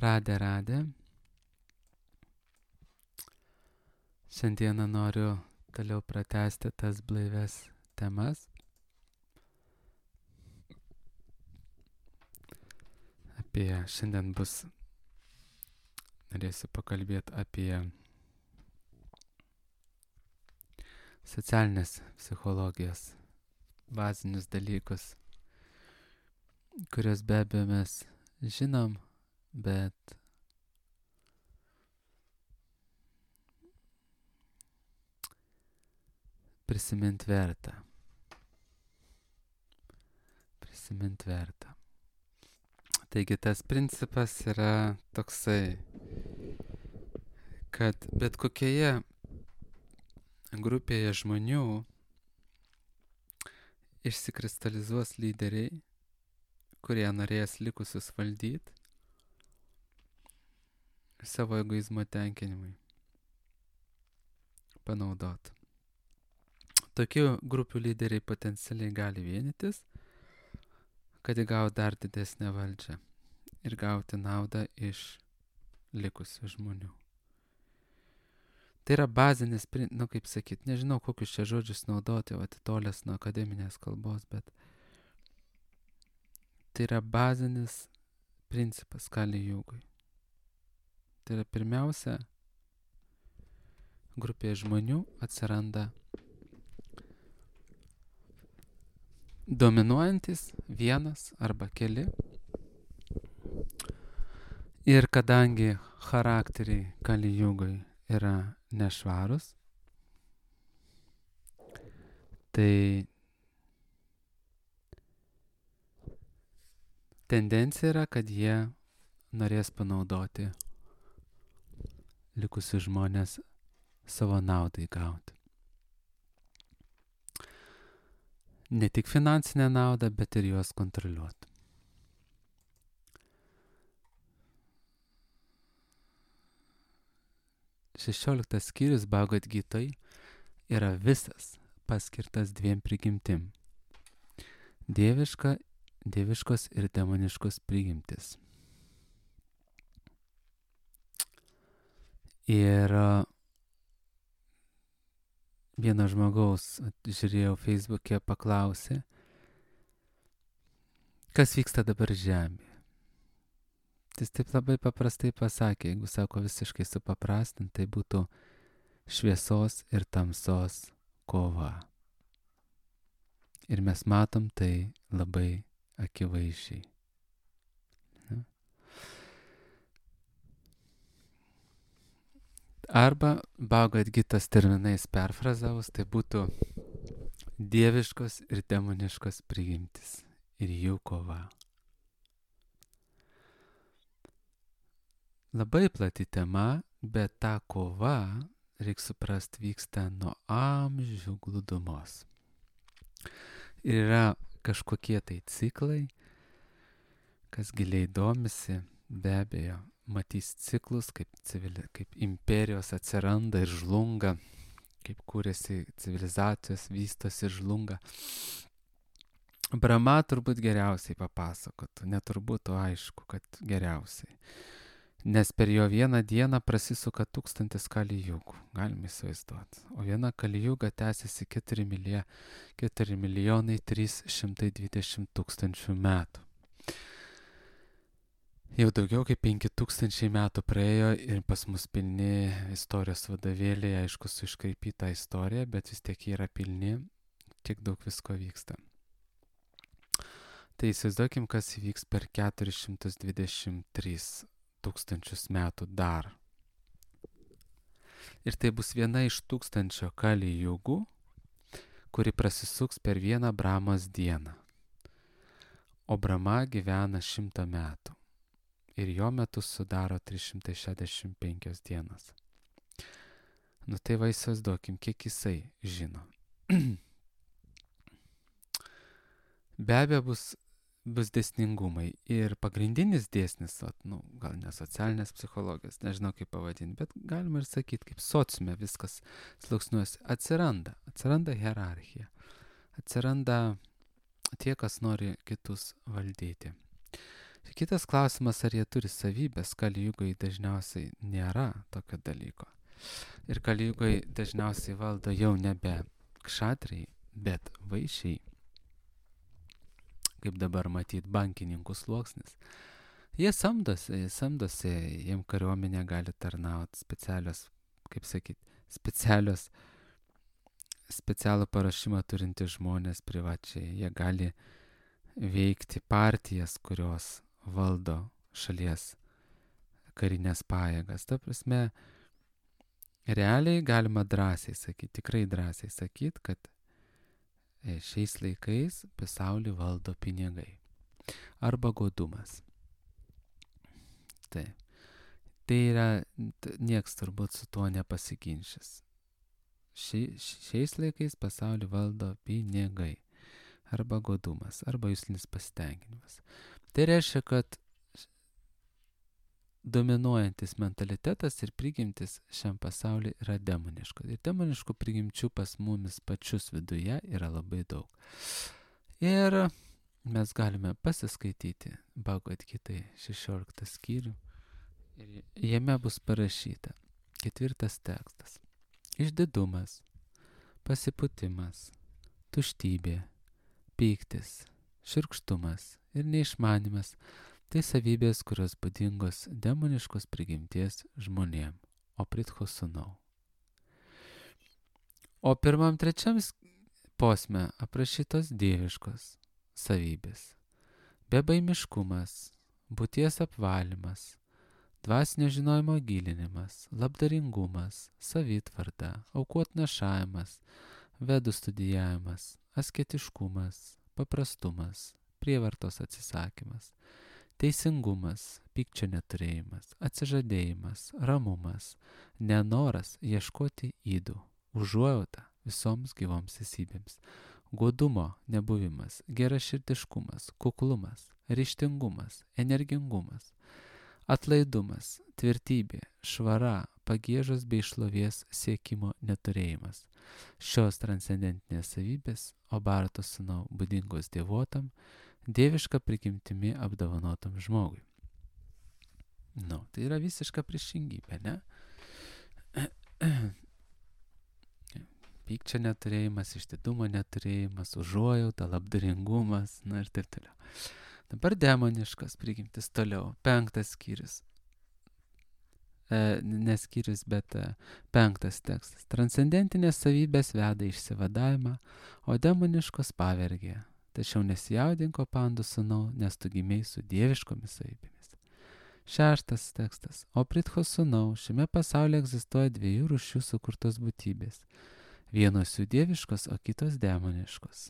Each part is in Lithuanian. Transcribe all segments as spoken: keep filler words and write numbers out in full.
Radė, radė. Šiandieną noriu toliau pratęsti tas blaives temas. Apie šiandien bus, norėsiu pakalbėti apie socialinės psichologijos bazinius dalykus, kuriuos be abejo mes žinom, bet prisimint verta. Prisimint verta. Taigi tas principas yra toksai, kad bet kokioje grupėje žmonių išsikristalizuos lyderiai, kurie norės likusius valdyti savo egoizmo tenkinimui, panaudot. Tokių grupių lyderiai potencialiai gali vienytis, kad įgauti dar didesnę valdžią ir gauti naudą iš likusių žmonių. Tai yra bazinis, nu kaip sakyt, nežinau kokius čia žodžius naudoti, o atitolęs nuo akademinės kalbos, bet tai yra bazinis principas Kali Jugoj. Tai yra pirmiausia, grupėje žmonių atsiranda dominuojantis vienas arba keli. Ir kadangi charakteriai Kali Jugoj yra nešvarus, tai tendencija yra, kad jie norės panaudoti likusius žmonės savo naudai gauti. Ne tik finansinę naudą, bet ir juos kontroliuoti. šešioliktas skyrius Bhagavad Gitoj yra visas paskirtas dviem prigimtim. Dieviška, dieviškos ir demoniškos prigimtis. Ir vieno žmogaus, žiūrėjau Facebook'e, paklausė, kas vyksta dabar žemėje. Jis taip labai paprastai pasakė, jeigu sako visiškai supaprastint, tai būtų šviesos ir tamsos kova. Ir mes matom tai labai akivaizdžiai. Arba Bhagavad Gitos terminais perfrazavus, tai būtų dieviškos ir demoniškos prigimtis ir jų kova. Labai plati tema, bet ta kova, reikia suprast, vyksta nuo amžių glūdumos. Ir yra kažkokie tai ciklai, kas giliai domisi, be abejo, matys ciklus, kaip, civili, kaip imperijos atsiranda ir žlunga, kaip kūrėsi civilizacijos, vystosi ir žlunga. Brahma turbūt geriausiai papasakotų, neturbūt, o aišku, kad geriausiai. Nes per jo vieną dieną prasisuka tūkstantis Kali Jugų, galime įsivaizduoti. O viena Kali Juga tęsiasi keturi milijonai trys šimtai dvidešimt tūkstančių metų. Jau daugiau kaip penki tūkstančiai metų praėjo ir pas mus pilni istorijos vadovėliai, aišku, su iškraipyta istorija, bet vis tiek yra pilni, tiek daug visko vyksta. Tai įsivaizduokim, kas įvyks per keturis šimtus dvidešimt tris tūkstančius metų dar. Ir tai bus viena iš tūkstančio Kali Jugų, kuri prasisuks per vieną Brahmos dieną. O Brahma gyvena šimtą metų. Ir jo metus sudaro trys šimtai šešiasdešimt penkios dienos. Nu tai va įsivaizduokim, kiek jisai žino. Be abejo bus bus dėsningumai. Ir pagrindinis dėsnis, nu, gal ne socialinės psichologijos, nežinau kaip pavadinti, bet galima ir sakyti, kaip sociume viskas sluoksniuosi, atsiranda, atsiranda hierarchija, atsiranda tie, kas nori kitus valdyti. Kitas klausimas, ar jie turi savybės, kalijugai dažniausiai nėra tokio dalyko. Ir kalijugai dažniausiai valdo jau nebe kšatriai, bet vaišiai, kaip dabar matyt bankininkų sluoksnis. Jie samdosi, jie samdosi, jiem kariuomenė gali tarnauti specialios, kaip sakyt, specialios, specialų parašymą turinti žmonės privačiai. Jie gali veikti partijas, kurios valdo šalies karinės pajėgas. Ta prasme, realiai galima drąsiai sakyti, tikrai drąsiai sakyti, kad šiais laikais pasaulį valdo pinigai arba godumas. Taip. Tai yra, nieks turbūt su tuo nepasiginčys. Ši, šiais laikais pasaulį valdo pinigai arba godumas, arba juslinis pasitenkinimas. Tai reiškia, kad dominuojantis mentalitetas ir prigimtis šiam pasauliu yra demoniška. Ir demoniškų prigimčių pas mumis pačius viduje yra labai daug. Ir mes galime pasiskaityti Bhagavad Gitai šešioliktą skyrių. Ir jame bus parašyta ketvirtas tekstas. Išdidumas, pasipūtimas, tuštybė, pyktis, šiurkštumas ir neišmanimas – tai savybės, kurios būdingos demoniškos prigimties žmonėm, o pritcho sūnau. O pirmam trečiam posme aprašytos dieviškos savybės. Bebaimiškumas, būties apvalymas, dvasinio žinojimo gilinimas, labdaringumas, savitvarda, aukotnešavimas, vedų studijavimas, asketiškumas, paprastumas, prievartos atsisakymas, teisingumas, pykčio neturėjimas, atsižadėjimas, ramumas, nenoras ieškoti ydų, užuojauta visoms gyvoms esybėms, godumo nebuvimas, geraširdiškumas, kuklumas, ryžtingumas, energingumas, atlaidumas, tvirtybė, švara, pagiežos bei šlovės siekimo neturėjimas. Šios transcendentinės savybės, o Bharata sūnau būdingos dievotam, dieviška prigimtimi apdovanotam žmogui. Nu, tai yra visiška priešingybė, ne? Pykčio neturėjimas, išdidumo neturėjimas, užuojauta, labdaringumas, na ir taip toliau. Dabar demoniškas prigimtis toliau. Penktas skyrius. E, ne skyrius, bet e, penktas tekstas. Transcendentinės savybės veda išsivadavimą, o demoniškos pavergė. Tačiau nesijaudink, pandų sūnau, nes tu gimei su dieviškomis savybėmis. Šeštas tekstas. O pritcho sūnau, šiame pasaulyje egzistuoja dviejų rūšių sukurtos būtybės. Vienos jų dieviškos, o kitos demoniškos.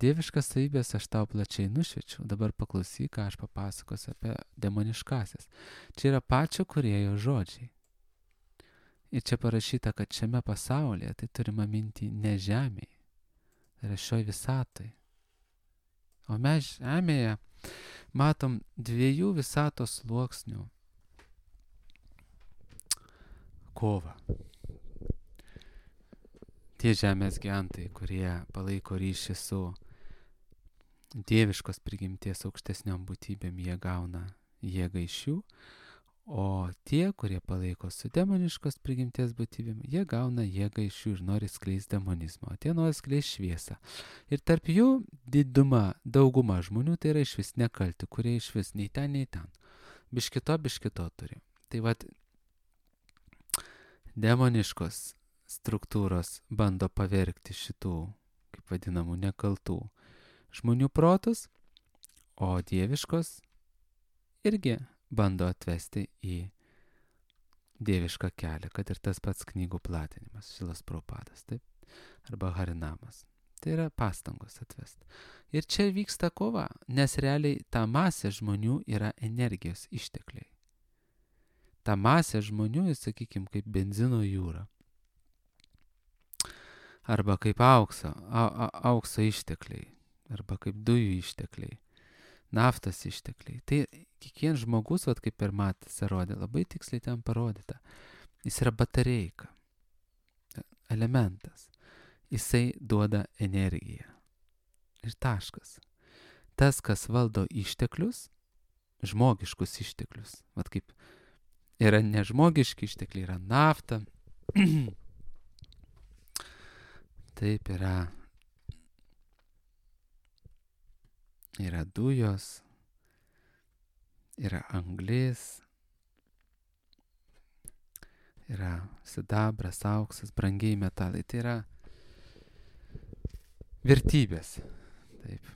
Dieviškas savybės aš tau plačiai nušviečiau, dabar paklausyk, ką aš papasakosiu apie demoniškasias. Čia yra pačio kūrėjo žodžiai. Ir čia parašyta, kad šiame pasaulyje, tai turima minti ne žemėje, tai yra šioj visatoj. O mes žemėje matom dviejų visatos sluoksnių kovą. Tie žemės gyventojai, kurie palaiko ryšį su dieviškos prigimties aukštesniom būtybėm, jie gauna jėgą iš jų, o tie, kurie palaiko su demoniškos prigimties būtybėm, jie gauna jėgą iš jų ir nori skleisti demonizmą, o tie nori skleisti šviesą. Ir tarp jų diduma, dauguma žmonių tai yra išvis nekalti, kurie išvis nei ten, nei ten. Biškito, biškito turi. Tai vat demoniškos struktūros bando pavergti šitų, kaip vadinamų, nekaltų žmonių protus, o dieviškos irgi bando atvesti į dievišką kelią, kad ir tas pats knygų platinimas, Šilas Prabhupadas, taip, arba Harinamas. Tai yra pastangos atvesti. Ir čia vyksta kova, nes realiai ta masė žmonių yra energijos ištekliai. Ta masė žmonių, sakykime, kaip benzino jūra. Arba kaip aukso, a, a, aukso ištekliai, arba kaip dujų ištekliai, naftos ištekliai. Tai kiekvienas žmogus, vat, kaip ir Matas rodė, labai tiksliai ten parodyta. Jis yra batareika, elementas. Jisai duoda energiją. Ir taškas. Tas, kas valdo išteklius, žmogiškus išteklius. Vat kaip yra nežmogiški ištekliai, yra nafta. Taip yra, yra dujos, yra anglis, yra sidabras, auksas, brangiai metalai. Tai yra vertybės. Taip.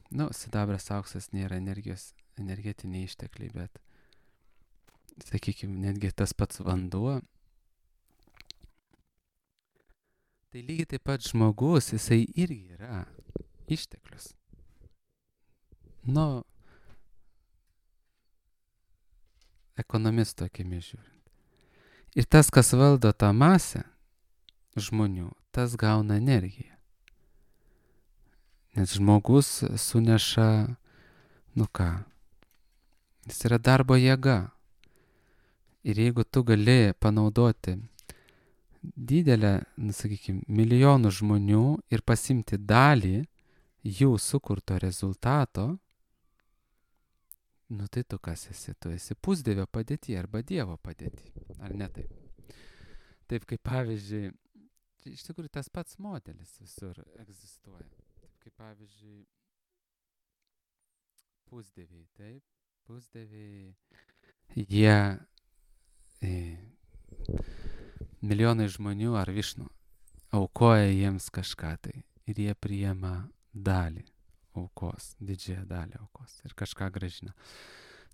Nu, sidabras, auksas nėra energijos, energetiniai ištekliai, bet, sakykime, netgi tas pats vanduo. Tai lygiai taip pat žmogus, jisai irgi yra išteklius. Nu, ekonomisto akimis žiūrint. Ir tas, kas valdo tą masę žmonių, tas gauna energiją. Nes žmogus suneša, nu ką, jis yra darbo jėga. Ir jeigu tu gali panaudoti didelę, nu, sakykime, milijonų žmonių ir pasimti dalį jų sukurto rezultato, nu tai tu kas esi? Tu esi pusdievio padėti arba Dievo padėti. Ar ne taip? Taip kaip pavyzdžiui, iš tikrųjų tas pats modelis visur egzistuoja. Kaip pavyzdžiui, pusdieviai, taip, pusdieviai, jie, e, milijonai žmonių ar Višnu aukoja jiems kažką tai ir jie priima dalį aukos, didžiąją dalį aukos ir kažką grąžina.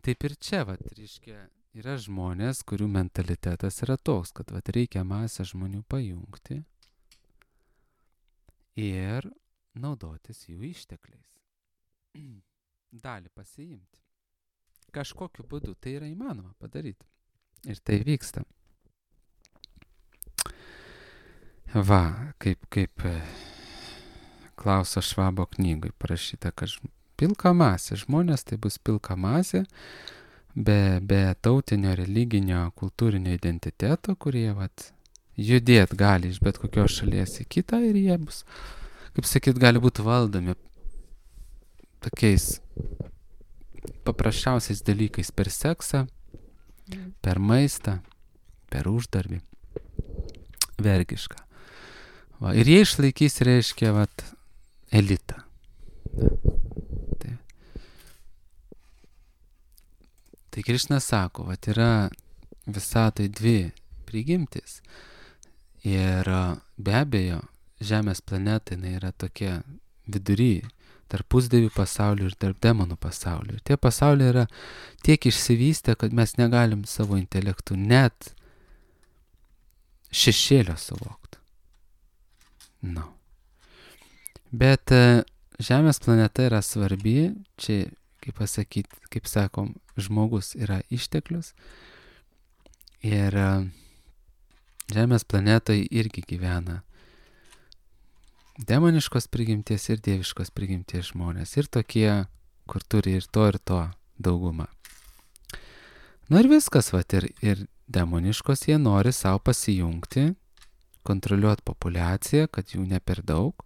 Taip ir čia, vat, reiškia, yra žmonės, kurių mentalitetas yra toks, kad vat, reikia masę žmonių pajungti ir naudotis jų ištekliais. Dalį pasiimti. Kažkokiu būdu tai yra įmanoma padaryti. Ir tai vyksta. Va, kaip, kaip Klauso Švabo knygoj parašyta, kad pilka masė, žmonės tai bus pilka masė, be, be tautinio, religinio, kultūrinio identiteto, kurie vat, judėt gali iš bet kokios šalies į kitą ir jie bus, kaip sakyt, gali būti valdomi tokiais paprasčiausiais dalykais per seksą, per maistą, per uždarbį, vergišką. Va, ir jie išlaikys, reiškia, vat, elitą. Tai, tai Krišna sako, vat, yra visatai dvi prigimtis ir be abejo, Žemės planeta jinai yra tokia vidury, tarp pusdievių pasaulių ir tarp demonų pasaulių. Ir tie pasauliai yra tiek išsivystę, kad mes negalim savo intelektų net šešėlio suvokti. No. Bet Žemės planeta yra svarbi, čia, kaip pasakyti, kaip sakom, žmogus yra išteklius ir Žemės planetoje irgi gyvena demoniškos prigimties ir dieviškos prigimties žmonės. Ir tokie, kur turi ir to, ir to daugumą. Nu ir viskas, vat, ir, ir demoniškos jie nori savo pasijungti, kontroliuoti populiaciją, kad jų ne per daug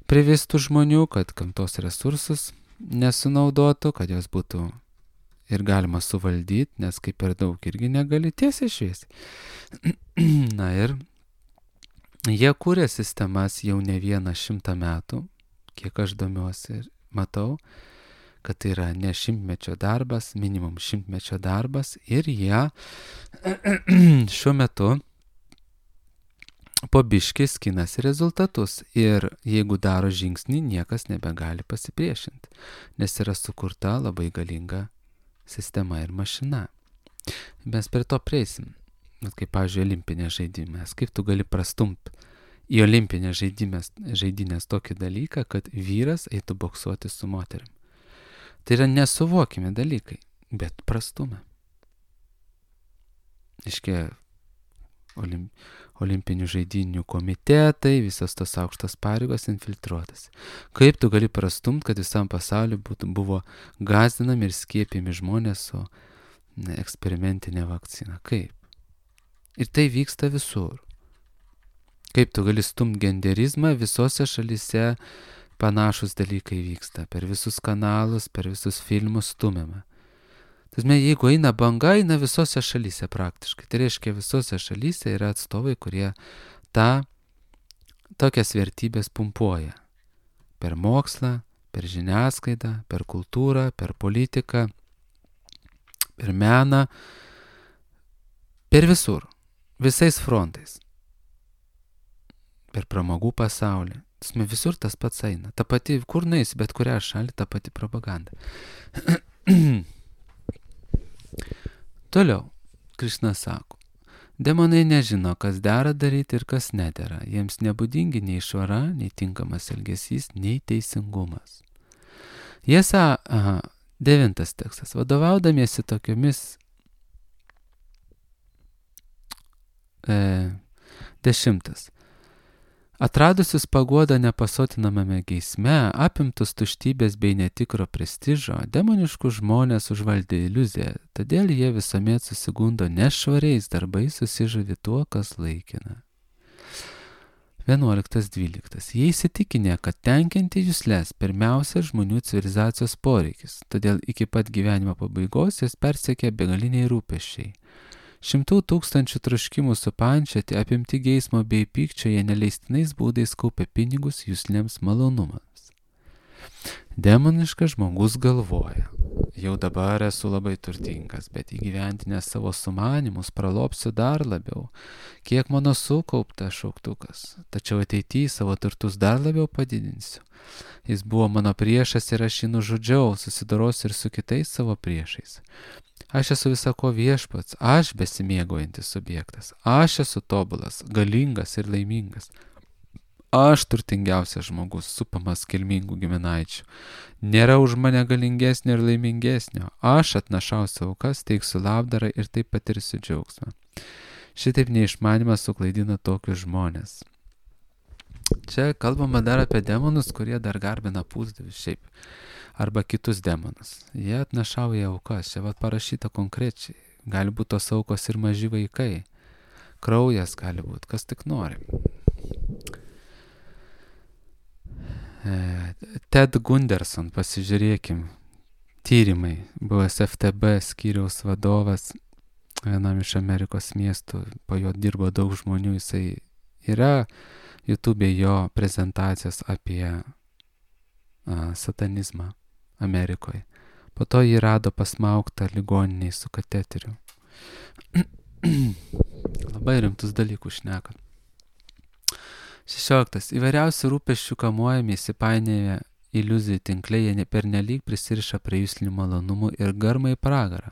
privistų žmonių, kad gamtos resursus nesunaudotų, kad jos būtų ir galima suvaldyti, nes kaip per daug irgi negali tiesiai šviesiai. Na ir jie kūrė sistemas jau ne vieną šimtą metų, kiek aš domiuosi ir matau, kad tai yra ne šimtmečio darbas, minimum šimtmečio darbas ir jie šiuo metu po biškį skinasi rezultatus ir jeigu daro žingsnį, niekas nebegali pasipriešinti, nes yra sukurta labai galinga sistema ir mašina. Mes per to prieisim. Kaip, pavyzdžiui, olimpinės žaidimės. Kaip tu gali prastumti į olimpinės žaidimės, žaidinės tokį dalyką, kad vyras eitų boksuoti su moterim. Tai yra nesuvokimi dalykai, bet prastumė. Iškia, olim, olimpinių žaidinių komitetai, visos tos aukštos pareigos infiltruotas. Kaip tu gali prastumti, kad visam pasauliu būtų, buvo gąsdinami ir skiepimi žmonės su ne, eksperimentinė vakcina? Kaip? Ir tai vyksta visur. Kaip tu gali stumti genderizmą, visose šalyse panašus dalykai vyksta. Per visus kanalus, per visus filmus stumiama. Tasme, jeigu eina banga, eina visose šalyse praktiškai. Tai reiškia, visose šalyse yra atstovai, kurie tą tokias vertybės pumpuoja. Per mokslą, per žiniasklaidą, per kultūrą, per politiką, per meną, per visur, visais frontais. Per pramogų pasaulį. Tasme, visur tas pats eina. Ta pati, kur nueisi, bet kurią šalį, ta pati propaganda. Toliau, Krišna sako, demonai nežino, kas dera daryti ir kas nedera. Jiems nebūdingi nei švara, nei tinkamas elgesys, nei teisingumas. Jie sako, aha, devintas tekstas, vadovaudamiesi tokiomis e, dešimtas. Atradusius paguodą nepasotinamame geisme, apimtus tuštybės bei netikro prestižo, demoniškų žmonės užvaldė iliuziją, todėl jie visuomet susigundo nešvariais darbais, susižavi tuo, kas laikina. vienuoliktas dvyliktas. Jie įsitikinę, kad tenkinti juslės pirmiausia žmonių civilizacijos poreikis, todėl iki pat gyvenimo pabaigos jas persekė begaliniai rūpesčiai. Šimtų tūkstančių troškimų supančioti, apimti geismo bei pykčio, jie neleistinais būdais kaupia pinigus juslėms malonumams. Demoniškas žmogus galvoja, jau dabar esu labai turtingas, bet įgyventinę savo sumanimus pralopsiu dar labiau, kiek mano sukaupta šauktukas, tačiau ateityje savo turtus dar labiau padidinsiu. Jis buvo mano priešas ir aš jį nužudžiau, susidorosiu ir su kitais savo priešais. Aš esu visako viešpats, aš besimėgaujantis subjektas, aš esu tobulas, galingas ir laimingas. Aš turtingiausias žmogus, supamas kilmingų giminaičių. Nėra už mane galingesnio ir laimingesnio. Aš atnašausiu aukas, teiksiu labdarą ir taip patirsiu džiaugsmą. Šitaip neišmanimas suklaidina tokius žmonės. Čia kalbama dar apie demonus, kurie dar garbina pusdievius šiaip. Arba kitus demonus. Jie atnašauja aukas. Čia vat parašyta konkrečiai. Gali būti tos aukos ir maži vaikai. Kraujas gali būti, kas tik nori. Ted Gunderson, pasižiūrėkim, tyrimai, buvęs F T B skyriaus vadovas vienam iš Amerikos miestų, po jo dirbo daug žmonių, jisai yra YouTube'e jo prezentacijos apie a, satanizmą Amerikoje. Po to jį rado pasmauktą ligoniniai su kateteriu. Labai rimtus dalykus šneka. šešioliktas. Įvairiausių rūpesčių kamuojami įsipainėję iliuzijų tinkliai, jie pernelyg prisiriša prie juslinių malonumų ir garma į pragarą.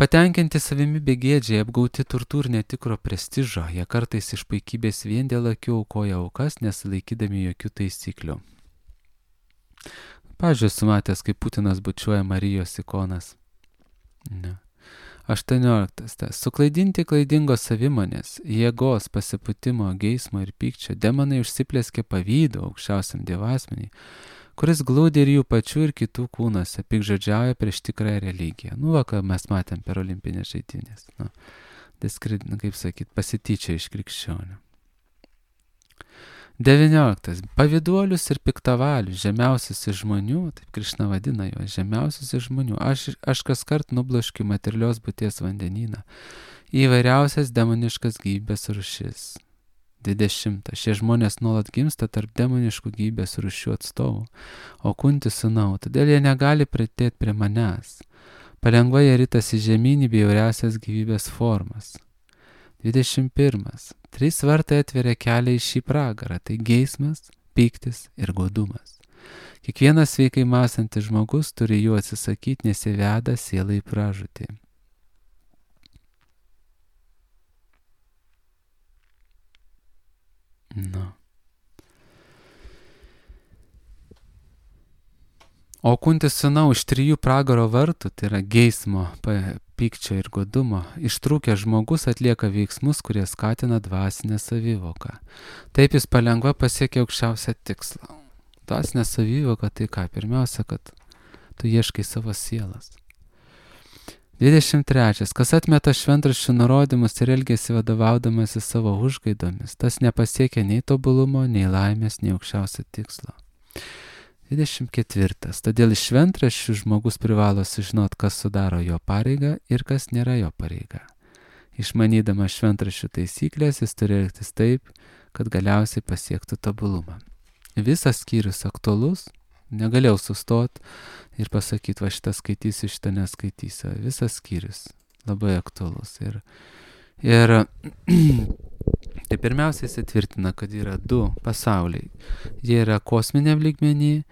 Patenkinti savimi begėdžiai, apgauti turtų ir netikro prestižo, jie kartais iš puikybės vien dėl akių aukoja aukas, nesilaikydami jokių taisyklių. Pavyzdžiui, sumatęs, kaip Putinas bučiuoja Marijos ikonas. Ne. aštuonioliktas. Suklaidinti klaidingos savimonės, jėgos, pasipūtimo, geismo ir pykčio, demonai užsiplėskė pavydo aukščiausiam dievasmeniui, kuris glūdi ir jų pačių ir kitų kūnuose, piktžodžiauja prieš tikrąją religiją. Nu, va, ką mes matėm per olimpinės žaidynės. Nu, diskred, kaip sakyt, pasityčia iš krikščionių. devynioliktas. Pavyduolius ir piktavalius, žemiausius iš žmonių, taip Krišna vadina juos, žemiausius iš žmonių, aš, aš kas kart nubloškiu materialios būties vandenyną, įvairiausias demoniškas gyvybės rūšis. dvidešimtas. Šie žmonės nuolat gimsta tarp demoniškų gyvybės rūšių atstovų, o kunti sūnau, todėl jie negali pritėti prie manęs. Palengva jie ritasi žemyn į bjauriausias gyvybės formas. dvidešimt pirmas. Trys vartai atveria kelią į šį pragarą, tai geismas, pyktis ir godumas. Kiekvienas sveikai mąstantis žmogus turi jų atsisakyti, nes jie veda sielą į pražūtį. Nu. O kuntis sūnau iš trijų pragaro vartų, tai yra geismo, pykčio ir godumo, ištrūkęs žmogus atlieka veiksmus, kurie skatina dvasinę savivoką. Taip jis palengva pasiekia aukščiausią tikslą. Dvasinė savivoka tai ką? Pirmiausia, kad tu ieškai savo sielas. dvidešimt trečias. Kas atmeta šventraščių nurodymus ir elgiasi vadovaudamasi savo užgaidomis, tas nepasiekia nei tobulumo, nei laimės, nei aukščiausio tikslo. dvidešimt ketvirtas. Todėl iš šventraščių žmogus privalo sužinot, kas sudaro jo pareigą ir kas nėra jo pareiga. Išmanydamas šventraščių taisyklės, jis turi elgtis taip, kad galiausiai pasiektų tobulumą. Visas skyrius aktualus, negalėjau sustot ir pasakyti, va šitą skaitysiu, šitą neskaitysiu. Visas skyrius labai aktualus. Ir, ir tai pirmiausia įsitvirtina, kad yra du pasauliai. Jie yra kosminiam lygmenį,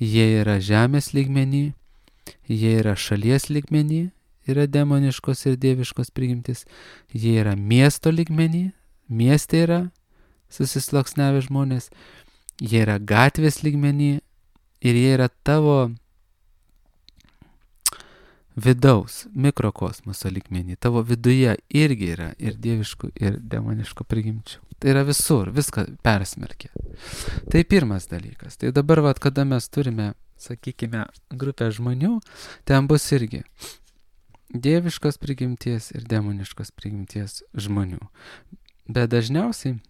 jie yra žemės lygmenį, jie yra šalies lygmenį, yra demoniškos ir dieviškos prigimtis, jie yra miesto lygmenį, mieste yra susisluoksniavę žmonės, jie yra gatvės lygmenį ir jie yra tavo vidaus, mikrokosmoso lygmenį, tavo viduje irgi yra ir dieviškų, ir demoniškų prigimčių. Tai yra visur, viską persmerkia. Tai pirmas dalykas. Tai dabar, vat, kada mes turime, sakykime, grupę žmonių, ten bus irgi dieviškos prigimties ir demoniškos prigimties žmonių. Bet dažniausiai,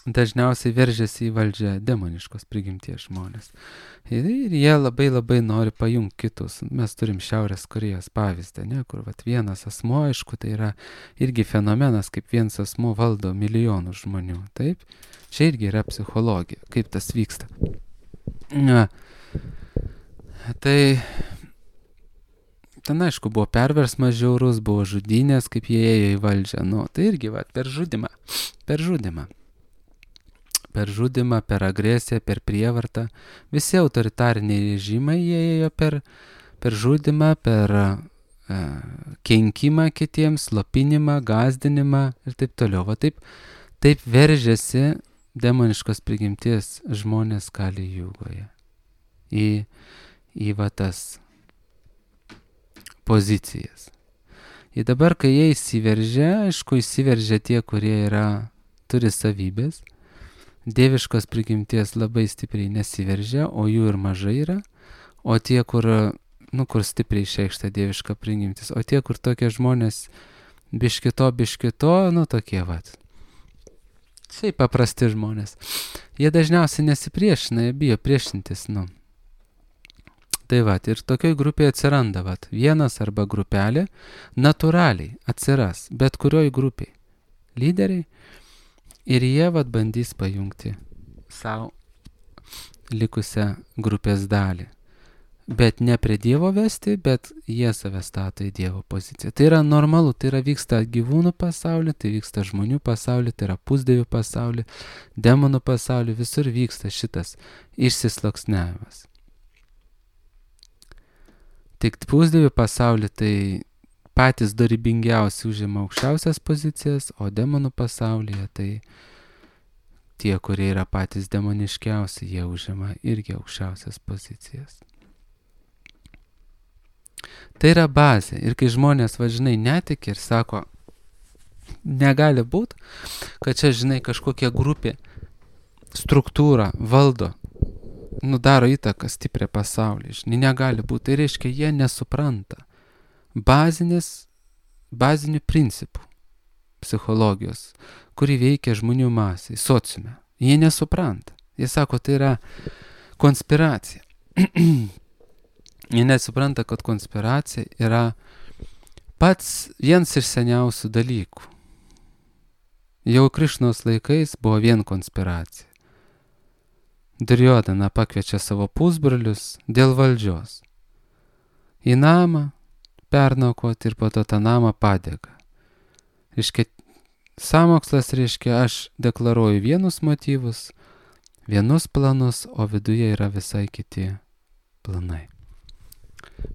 dažniausiai veržiasi į valdžią demoniškos prigimties žmonės. Ir, ir jie labai labai nori pajungti kitus. Mes turim Šiaurės Korėjos pavyzdį, ne, kur vat, vienas asmuo, aišku, tai yra irgi fenomenas, kaip vienas asmuo valdo milijonų žmonių. Taip? Čia irgi yra psichologija, kaip tas vyksta. Na, tai ten, aišku, buvo perversmas žiaurus, buvo žudynės, kaip jie ėjo į valdžią. Nu, tai irgi, va, per žudimą. Per žudimą. Per žudimą, per agresiją, per prievartą. Visi autoritariniai režimai jie ėjo per, per žudimą, per e, kenkimą kitiems, slopinimą, gąsdinimą ir taip toliau. Va, taip, taip veržiasi demoniškos prigimties žmonės Kali Jugoje. Į, į va tas pozicijas. Ir dabar, kai jie įsiveržia, aišku, įsiveržia tie, kurie yra, turi savybės. Dieviškos prigimties labai stipriai nesiveržia, o jų ir mažai yra. O tie, kur, nu, kur stipriai išreikšta dieviška prigimtis. O tie, kur tokie žmonės biškito, biškito, nu, tokie, vat. Šiaip paprasti žmonės. Jie dažniausiai nesipriešina, jie bijo priešintis, nu. Tai va, ir tokioj grupėje atsiranda, va, vienas arba grupelė, natūraliai atsiras, bet kurioj grupiai lyderiai, ir jie, va, bandys pajungti savo likusią grupės dalį. Bet ne prie Dievo vesti, bet jie save stato į Dievo poziciją. Tai yra normalu, tai yra vyksta gyvūnų pasaulyje, tai vyksta žmonių pasaulyje, tai yra pusdievių pasaulyje, demonų pasaulyje, visur vyksta šitas išsisluoksniavimas. Tik pusdievių pasaulyje tai patys dorybingiausi užima aukščiausias pozicijas, o demonų pasaulyje tai tie, kurie yra patys demoniškiausi, jie užima irgi aukščiausias pozicijas. Tai yra bazė. Ir kai žmonės, va, žinai, netiki ir sako, negali būti, kad čia, žinai, kažkokia grupė, struktūra valdo, nu, daro įtaką stiprią pasaulį. Žinai, negali būti. Tai reiškia, jie nesupranta bazinės, bazinių principų psichologijos, kuri veikia žmonių masai, sociume. Jie nesupranta. Jie sako, tai yra konspiracija. Jie nesupranta, kad konspiracija yra pats vienas iš seniausių dalykų. Jau Krišnos laikais buvo vien konspiracija. Duryodhana pakviečia savo pusbrolius dėl valdžios. Į namą pernaukoti ir po to tą namą padega. Reiškia, sąmokslas reiškia, aš deklaruoju vienus motyvus, vienus planus, o viduje yra visai kiti planai.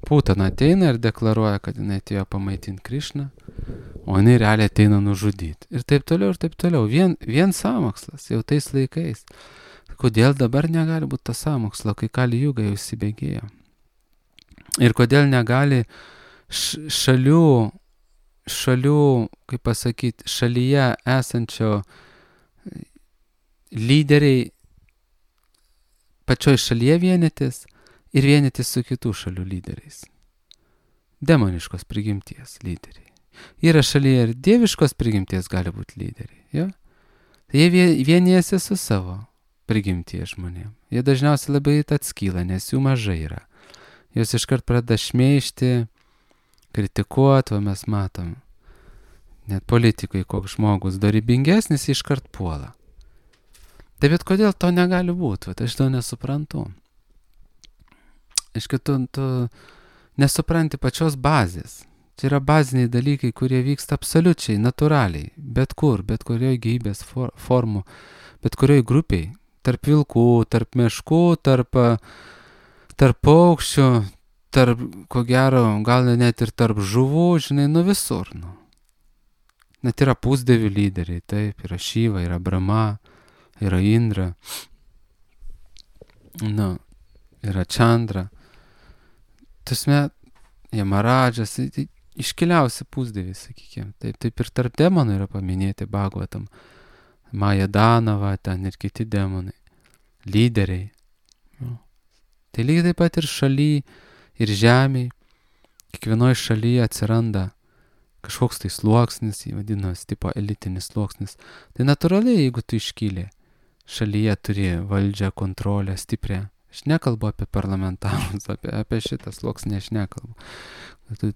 Putana ateina ir deklaruoja, kad jinai atėjo pamaitinti Krišną, o jinai realiai ateina nužudyti. Ir taip toliau, ir taip toliau. Vien, vien sąmokslas jau tais laikais. Kodėl dabar negali būti to sąmokslo, kai Kali Juga jau įsibėgėjo? Ir kodėl negali šalių, šalių, kaip pasakyti, šalyje esančio lyderiai pačioj šalyje vienytis ir vienytis su kitų šalių lyderiais. Demoniškos prigimties lyderiai. Yra šalyje ir dieviškos prigimties gali būti lyderiai. Jo? Tai jie vienijasi su savo prigimties žmonėm. Jie dažniausiai labai atskyla, nes jų mažai yra. Jos iškart pradeda šmeižti, kritikuoti, o mes matom. Net politikai, koks žmogus dorybingesnis, iškart puola. Tai bet kodėl to negali būti? Vat aš to nesuprantu. Iškai tu, tu nesupranti pačios bazės. Čia yra baziniai dalykai, kurie vyksta absoliučiai, natūraliai, bet kur, bet kurioje gyvybės for, formų, bet kurioje grupiai, tarp vilkų, tarp meškų, tarp, tarp paukščių, tarp, ko gero, gal net ir tarp žuvų, žinai, nu visur. Nu. Net yra pusdievių lyderiai, taip, yra Šiva, yra Brahma, yra Indra, nu, yra Chandra. Tasme, Jamaradžas, tai iškiliausi pusdieviai, sakykime. Taip, taip ir tarp demonų yra paminėti Bhagavatam. Maja Danava, ten ir kiti demonai. Lyderiai. Nu. Tai lygiai taip pat ir šaly, ir žemėj. Kiekvienoje šalyje atsiranda kažkoks tai sluoksnis, jį vadinasi, tipo elitinis sluoksnis. Tai natūraliai, jeigu tu iškylė, šalyje turi valdžią, kontrolę, stiprią. Aš nekalbu apie parlamentarus, apie, apie šitą sluoksnį aš nekalbu. Tu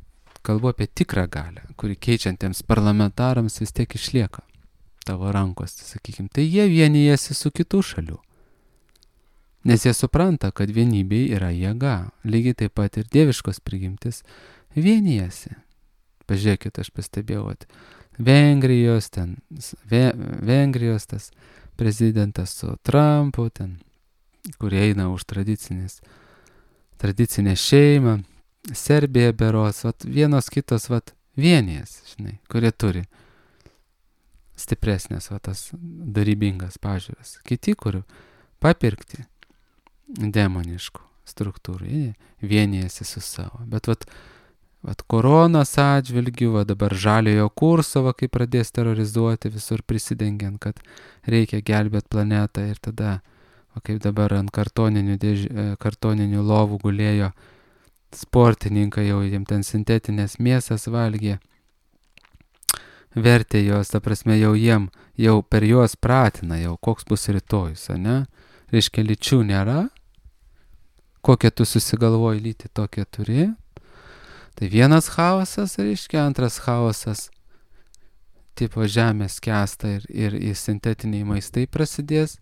kalbu apie tikrą galią, kuri keičiantiems parlamentarams vis tiek išlieka tavo rankos, sakykime. Tai jie vienijasi su kitų šalių. Nes jie supranta, kad vienybė yra jėga. Lygiai taip pat ir dieviškos prigimtis vienijasi. Pažiūrėkit, aš pastebėjau, Vengrijos, ten, Ve, Vengrijos tas prezidentas su Trumpu, ten, kurie eina už tradicinės, tradicinę šeimą, Serbija beros, vat, vienos kitos vat, vienijas, žinai, kurie turi stipresnės vat, tas darybingas pažiūras. Kiti, kurių papirkti demoniškų struktūrų, jie vienijasi su savo. Bet vat, vat koronos atžvilgių, va dabar žaliojo kurso, va, kai pradės terrorizuoti visur prisidengiant, kad reikia gelbėti planetą ir tada o kaip dabar ant kartoninių, dėž... kartoninių lovų gulėjo sportininkai, jau jiems ten sintetinės mėsas valgė, vertė jos, ta prasme, jau jiem, jau per juos pratina, jau koks bus rytojus, ne? Reiškia, lyčių nėra, kokią tu susigalvoji lytį, tokią turi. Tai vienas chaosas, reiškia, antras chaosas, tipo žemės skęsta ir, ir, ir sintetiniai maistai prasidės,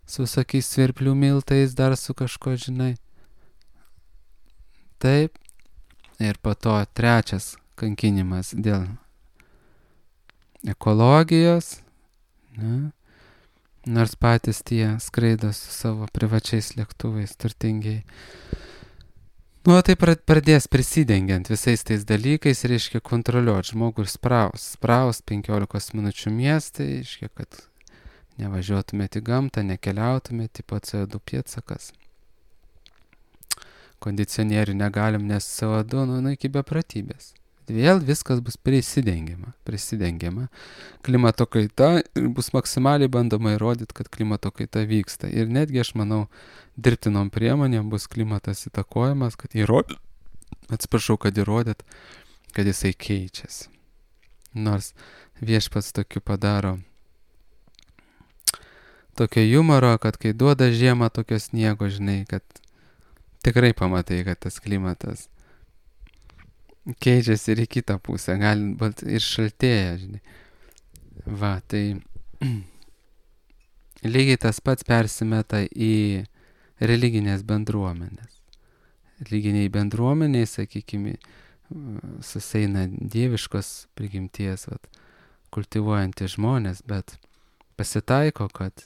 su visokiais svirplių miltais, dar su kažko, žinai. Taip. Ir po to trečias kankinimas dėl ekologijos. Ne? Nors patys tie skraido su savo privačiais lėktuvais turtingiai. Nu, tai pradės prisidengiant visais tais dalykais, reiškia kontroliuoti žmogų ir spraus. Spraus penkiolikos minučių miestai, reiškia, kad nevažiuotumėte į gamtą, nekeliautumėte, tipo C O du pėdsakas. Kondicionierių negalim, nes C O du, nu, nu iki bepratybės. Vėl viskas bus prisidengiama, prisidengiama. Klimato kaita ir bus maksimaliai bandoma įrodyti, kad klimato kaita vyksta. Ir netgi, aš manau, dirbtinom priemonėm bus klimatas įtakojamas, kad įrodyt, atsiprašau, kad įrodyt, kad jisai keičiasi. Nors viešpats tokiu padaro tokio humoro, kad kai duoda žiemą tokio sniego, žinai, kad tikrai pamatai, kad tas klimatas keičiasi ir į kitą pusę, gal ir šaltėja, žinai. Va, tai lygiai tas pats persimeta į religinės bendruomenės. Religiniai bendruomeniai, sakykime, suseina dieviškos prigimties, vat, kultivuojantys žmonės, bet pasitaiko, kad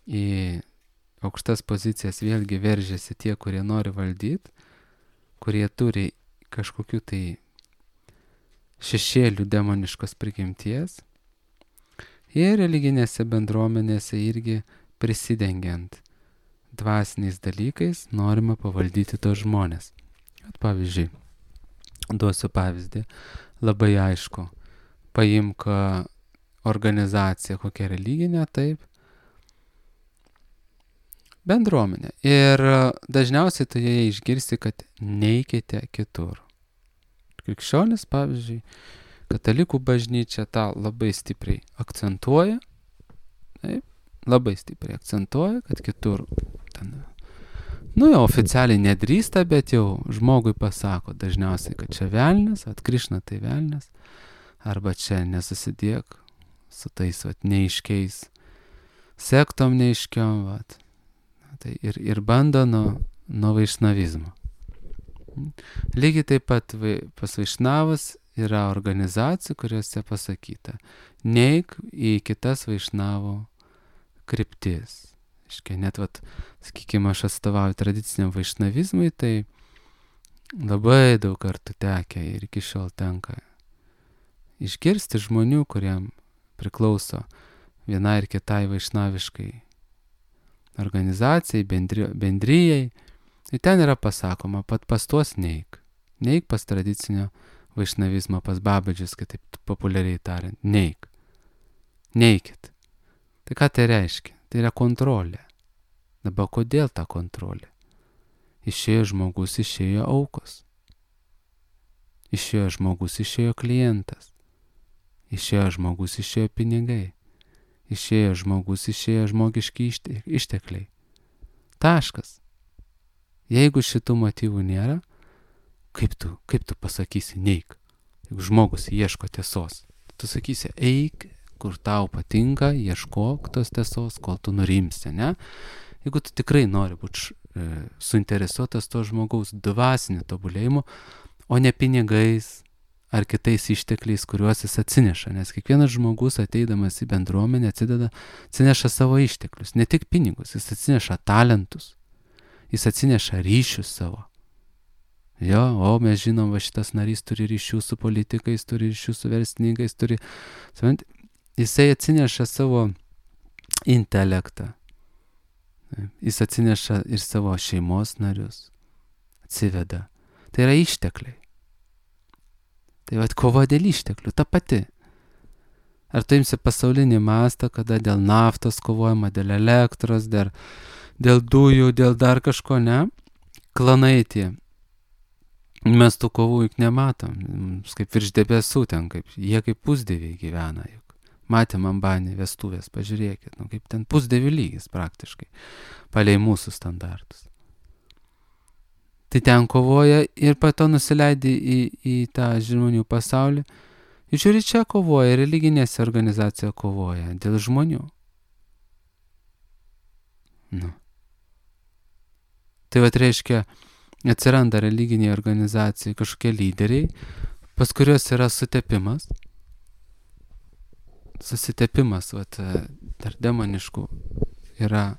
į aukštas pozicijas vėlgi veržiasi tie, kurie nori valdyti, kurie turi kažkokių tai šešėlių demoniškos prigimties. Ir religinėse bendruomenėse irgi prisidengiant dvasiniais dalykais norima pavaldyti tos žmonės. At, pavyzdžiui, duosiu pavyzdį, labai aišku, paimk organizaciją, kokia religinė, taip, bendruomenė. Ir dažniausiai tu joje išgirsti, kad neikite kitur. Krikščionis, pavyzdžiui, katalikų bažnyčia tą labai stipriai akcentuoja. Taip, labai stipriai akcentuoja, kad kitur ten, nu jau oficialiai nedrįsta, bet jau žmogui pasako dažniausiai, kad čia velnias, vat Krišna tai velnias, arba čia nesusidėk su tais vat neiškiais sektom neiškiom, vat. Tai ir, ir bando nuo, nuo vaišnavizmo. Lygiai taip pat vai, pas vaišnavus yra organizacijų, kuriuose pasakyta, neik į kitas vaišnavo kryptis. Iškia, net, vat, sakykime, aš atstovauju tradiciniam vaišnavizmui, tai labai daug kartų tekę ir iki šiol tenka išgirsti žmonių, kuriem priklauso vienai ir kitai vaišnaviškai organizacijai, bendri, bendryjai. Ir ten yra pasakoma, pat pas tuos neik. Neik pas tradicinio vaišnavizmo, pas babadžius, kitaip populiariai tariant. Neik. Neikit. Tai ką tai reiškia? Tai yra kontrolė. Dabar kodėl ta kontrolė? Išėjo žmogus, išėjo aukos. Išėjo žmogus, išėjo klientas. Išėjo žmogus, išėjo pinigai. Išėjo žmogus, išėjo žmogiški ištekliai. Taškas. Jeigu šitų motyvų nėra, kaip tu, kaip tu pasakysi neik? Jeigu žmogus ieško tiesos, tu sakysi eik, kur tau patinka, ieškok tos tiesos, kol tu nurimsi, ne? Jeigu tu tikrai nori būti e, suinteresuotas to žmogaus dvasiniu tobulėjimu, o ne pinigais ar kitais ištekliais, kuriuos jis atsineša. Nes kiekvienas žmogus ateidamas į bendruomenę atsideda, atsineša savo išteklius, ne tik pinigus, jis atsineša talentus, jis atsineša ryšius savo. Jo, o mes žinom, va šitas narys turi ryšių su politikais, turi ryšių su verslininkais, turi... Jisai atsineša savo intelektą. Jis atsineša ir savo šeimos narius. Atsiveda. Tai yra ištekliai. Tai vat kova dėl išteklių, ta pati. Ar tu imsi pasaulinį mastą, kada dėl naftos kovojama, dėl elektros, dėl, dėl dujų, dėl dar kažko, ne? Klanai tie. Mes tų kovų juk nematom. Kaip virš debesų ten, kaip, jie kaip pusdieviai gyvena juk. Matėm Ambanį vestuvės, pažiūrėkit, nu, kaip ten pusdievių lygis praktiškai, palei mūsų standartus. Tai ten kovoja ir po to nusileidė į, į tą žmonių pasaulį. Ir žiūri, čia kovoja, religinėse organizacija kovoja dėl žmonių. Nu. Tai vat reiškia, atsiranda religiniai organizacijai kažkokie lyderiai, pas kurios yra sutepimas. Susitepimas, vat, tarp demoniškų yra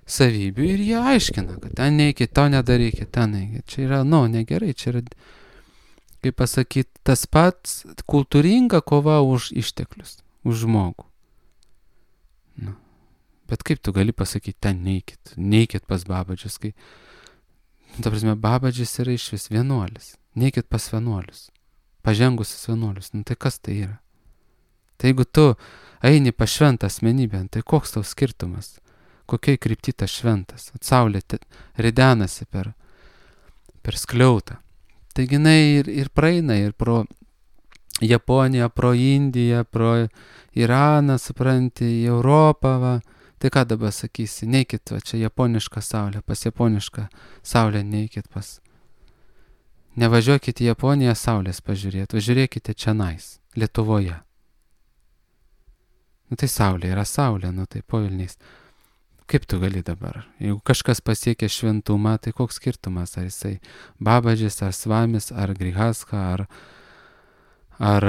savybių ir jie aiškina, kad ten neikit, to nedarykit, ten neikit. Čia yra, nu, negerai, čia yra, kaip pasakyti, tas pats kultūringa kova už išteklius, už žmogų. Nu. Bet kaip tu gali pasakyti, ten neikit, neikit pas babadžius, kai, ta prasme, babadžis yra iš vis vienuolis, neikit pas vienuolius, pažengusius vienuolius, nu tai kas tai yra? Tai jeigu tu eini pas šventą asmenybę, tai koks tau skirtumas? Kokiai krypti tas šventas? Saulė ridenasi per, per skliautą. Taigi jinai ir, ir praeina ir pro Japoniją, pro Indiją, pro Iraną, supranti, į Europą, va. Tai ką dabar sakysi? Neikit, va, čia japoniška saulė, pas japonišką saulę neikit pas. Nevažiuokit į Japoniją saulės pažiūrėti, važiuokite čionais, Lietuvoje. Nu tai saulė yra saulė, nu tai povilniais. Kaip tu gali dabar? Jeigu kažkas pasiekia šventumą, tai koks skirtumas? Ar jisai babadžis, ar svamis, ar grihaska, ar, ar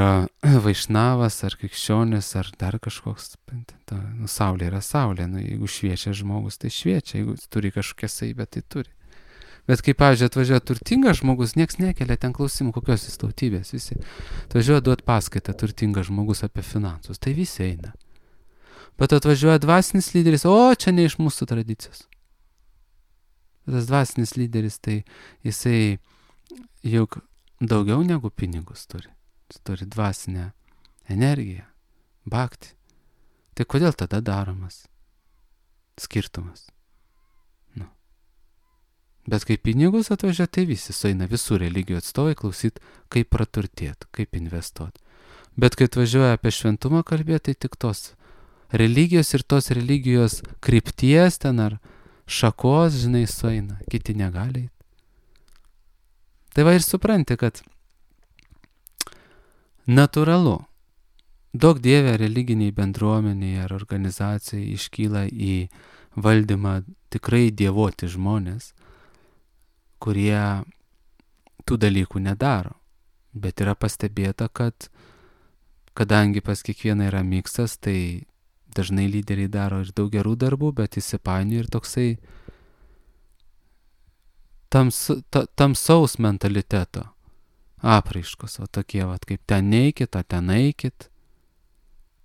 vaišnavas, ar krikščionis, ar dar kažkoks. Nu, saulė yra saulė. Nu, jeigu šviečia žmogus, tai šviečia. Jeigu turi kažkokią savybę, tai turi. Bet kaip, pavyzdžiui, atvažiuoja turtingas žmogus, nieks nekelia ten klausimų, kokios jis tautybės. Visi atvažiuoja duot paskaitą turtingas žmogus apie finansus. Tai visi eina. Bet atvažiuoja dvasinis lyderis, o čia ne iš mūsų tradicijos. Tas dvasinis lyderis, tai jisai juk daugiau negu pinigus turi. Jis turi dvasinę energiją, bhakti. Tai kodėl tada daromas skirtumas? Nu. Bet kai pinigus atvažiuoja, tai visi sueina, visų religijų atstovai klausyt, kaip praturtėti, kaip investuoti. Bet kai atvažiuoja apie šventumą kalbėti, tai tik tos religijos ir tos religijos krypties ten ar šakos, žinai, sueina, kiti negali eit. Tai va ir supranti, kad natūralu, daug dievė religiniai bendruomeniai ar organizacijai iškyla į valdymą tikrai dievoti žmonės, kurie tų dalykų nedaro. Bet yra pastebėta, kad kadangi pas kiekvieną yra miksas, tai dažnai lyderiai daro ir daug gerų darbų, bet įsipainioja ir toksai tams, ta, tamsaus mentaliteto apraiškos, o tokie, vat, kaip ten neikit, o ten eikit,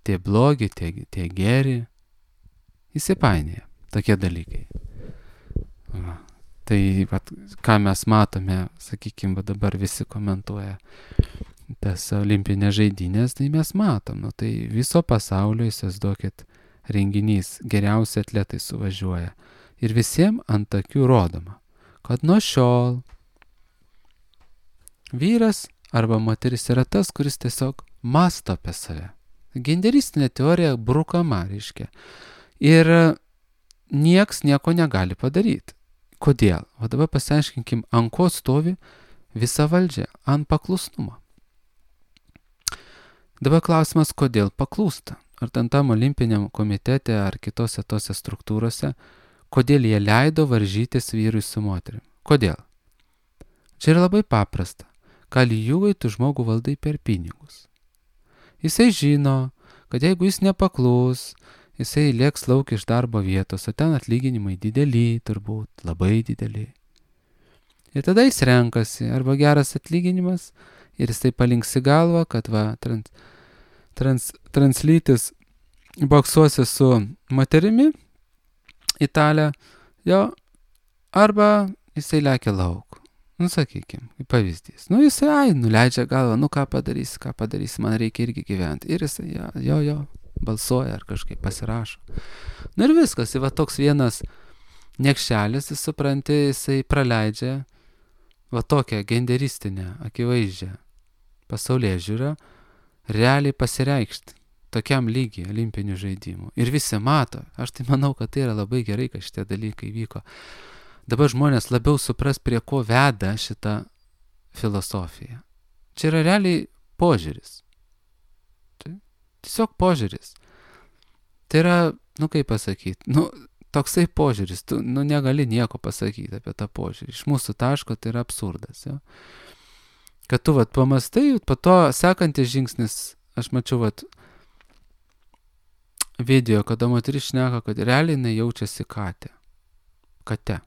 tie blogi, tie, tie geri, įsipainioja tokie dalykai. Va. Tai, vat, ką mes matome, sakykime, dabar visi komentuoja tas olimpinės žaidynės, tai mes matom, nu, tai viso pasaulio, įsivaizduokit, renginys, geriausi atletai suvažiuoja ir visiems ant akių rodoma, kad nuo šiol vyras arba moteris yra tas, kuris tiesiog mąsto apie save. Genderistinė teorija brukama, reiškia. Ir nieks nieko negali padaryti. Kodėl? O dabar pasiaiškinkim, ant ko stovi visa valdžia, ant paklusnumo. Dabar klausimas, kodėl paklūsta? Ar ten tam olimpiniam komitete ar kitose tose struktūrose, kodėl jie leido varžytis vyrui su moterim? Kodėl? Čia yra labai paprasta. Kalijūgai tu žmogų valdai per pinigus. Jisai žino, kad jeigu jis nepaklus, jisai lėks lauk iš darbo vietos, o ten atlyginimai dideli, turbūt labai dideli. Ir tada jis renkasi arba geras atlyginimas ir jisai palinksi galvą, kad va, trans, trans, translytis boksuosi su moterimi, italė, jo, arba jisai lekia lauk. Nu, sakykim, kaip pavyzdys. Nu, jisai, ai, nuleidžia galvą, nu, ką padarysi, ką padarysi, man reikia irgi gyventi. Ir jisai, jo, jo, jo, balsuoja ar kažkaip pasirašo. Nu ir viskas, va toks vienas niekšelis, jis supranti, jisai praleidžia va tokią genderistinę, akivaizdžią pasaulėžiūrą, realiai pasireikšti tokiam lygiai olimpinių žaidimų. Ir visi mato, aš tai manau, kad tai yra labai gerai, kad šitie dalykai vyko. Dabar žmonės labiau supras, prie ko veda šitą filosofiją. Čia yra realiai požiūris. Tai tiesiog požiūris. Tai yra, nu kaip pasakyti, nu toksai požiūris, tu nu, negali nieko pasakyti apie tą požiūrį. Iš mūsų taško tai yra absurdas. Jo? Kad tu vat pamastai, po to sekantis žingsnis, aš mačiau vat video, kada moteris šneka, kad realiai jinai jaučiasi katė. Kate.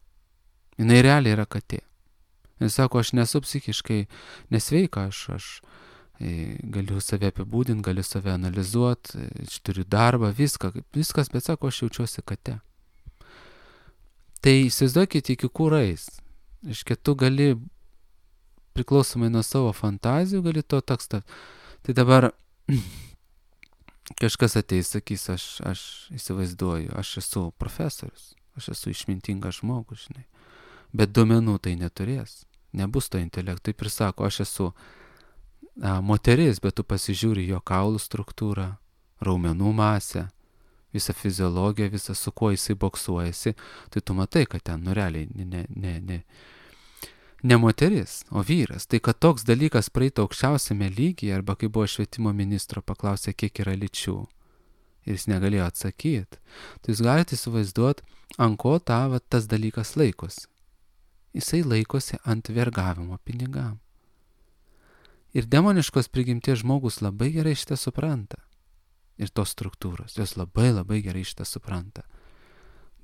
Jinai realiai yra katė. Jis sako, aš nesu psichiškai nesveika, aš, aš e, galiu save apibūdinti, galiu save analizuoti, aš turiu darbą, viską, viskas, bet sako, aš jaučiuosi katė. Tai įsivaizduokit iki kūrais. Iškia, tu gali, priklausomai nuo savo fantazijų, gali to tekstą. Tai dabar kažkas ateis, sakys, aš, aš įsivaizduoju, aš esu profesorius, aš esu išmintingas žmogus, žinai. Bet duomenų tai neturės, nebus to intelekto. Taip ir sako, aš esu a, moteris, bet tu pasižiūri jo kaulų struktūrą, raumenų masę, visą fiziologiją, visą su kuo jisai boksuojasi, tai tu matai, kad ten, nu realiai, ne, ne, ne, ne moteris, o vyras. Tai kad toks dalykas praeito aukščiausiame lygyje, arba kai buvo švietimo ministro paklausė, kiek yra lyčių, ir jis negalėjo atsakyti, tai jūs galite įsivaizduoti, ant ko ta, va, tas dalykas laikosi. Jisai laikosi ant vergavimo pinigam. Ir demoniškos prigimties žmogus labai gerai šitą supranta. Ir tos struktūros, jos labai labai gerai šitą supranta.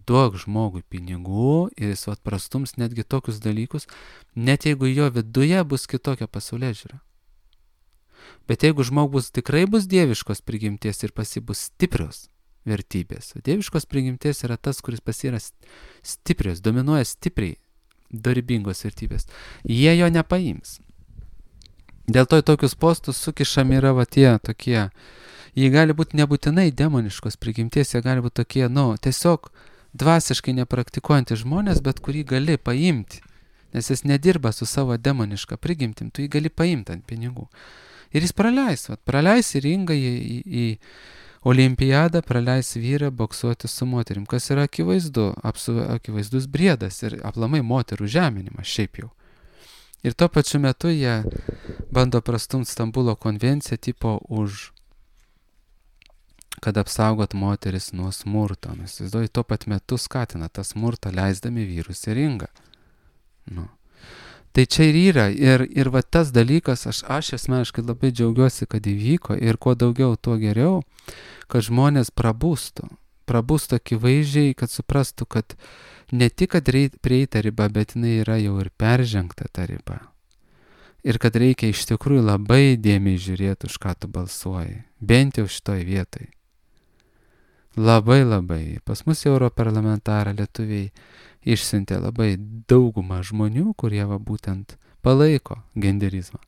Duok žmogui pinigų ir jis vat prastums netgi tokius dalykus, net jeigu jo viduje bus kitokia pasaulėžiūra. Bet jeigu žmogus tikrai bus dieviškos prigimties ir pas jį bus stiprios vertybės, dieviškos prigimties yra tas, kuris pas jį yra stiprios, dominuoja stipriai, dorybingos vertybės. Jie jo nepaims. Dėl to į tokius postus sukišami yra va tie tokie, jie gali būti nebūtinai demoniškos prigimties, jie gali būti tokie, nu, tiesiog dvasiškai nepraktikuojantys žmonės, bet kurį gali paimti, nes jis nedirba su savo demoniška prigimtim, tu jį gali paimti ant pinigų. Ir jis praleis, vat, praleis į ringą, į, į, į Olimpiadą praleis vyrai boksuoti su moterim, kas yra akivaizdu, apsu, akivaizdus briedas ir aplamai moterų žeminimas šiaip jau. Ir tuo pačiu metu jie bando prastumti Stambulo konvenciją tipo už, kad apsaugot moteris nuo smurto. Nes įsivaizduoju, tuo pat metu skatina tą smurtą, leisdami vyrus į ringą. Nu. Tai čia ir yra. Ir, ir va tas dalykas, aš, aš asmeniškai labai džiaugiuosi, kad įvyko ir kuo daugiau, tuo geriau, kad žmonės prabūstų. Prabūstų akivaizdžiai, kad suprastų, kad ne tik, kad prieita riba, bet jinai yra jau ir peržengta ta riba. Ir kad reikia iš tikrųjų labai dėmiai žiūrėti, už ką tu balsuoji. Bent jau šitoj vietoj. Labai labai. Pas mus europarlamentarą lietuviai išsiuntė labai daugumą žmonių, kurie va būtent palaiko genderizmą.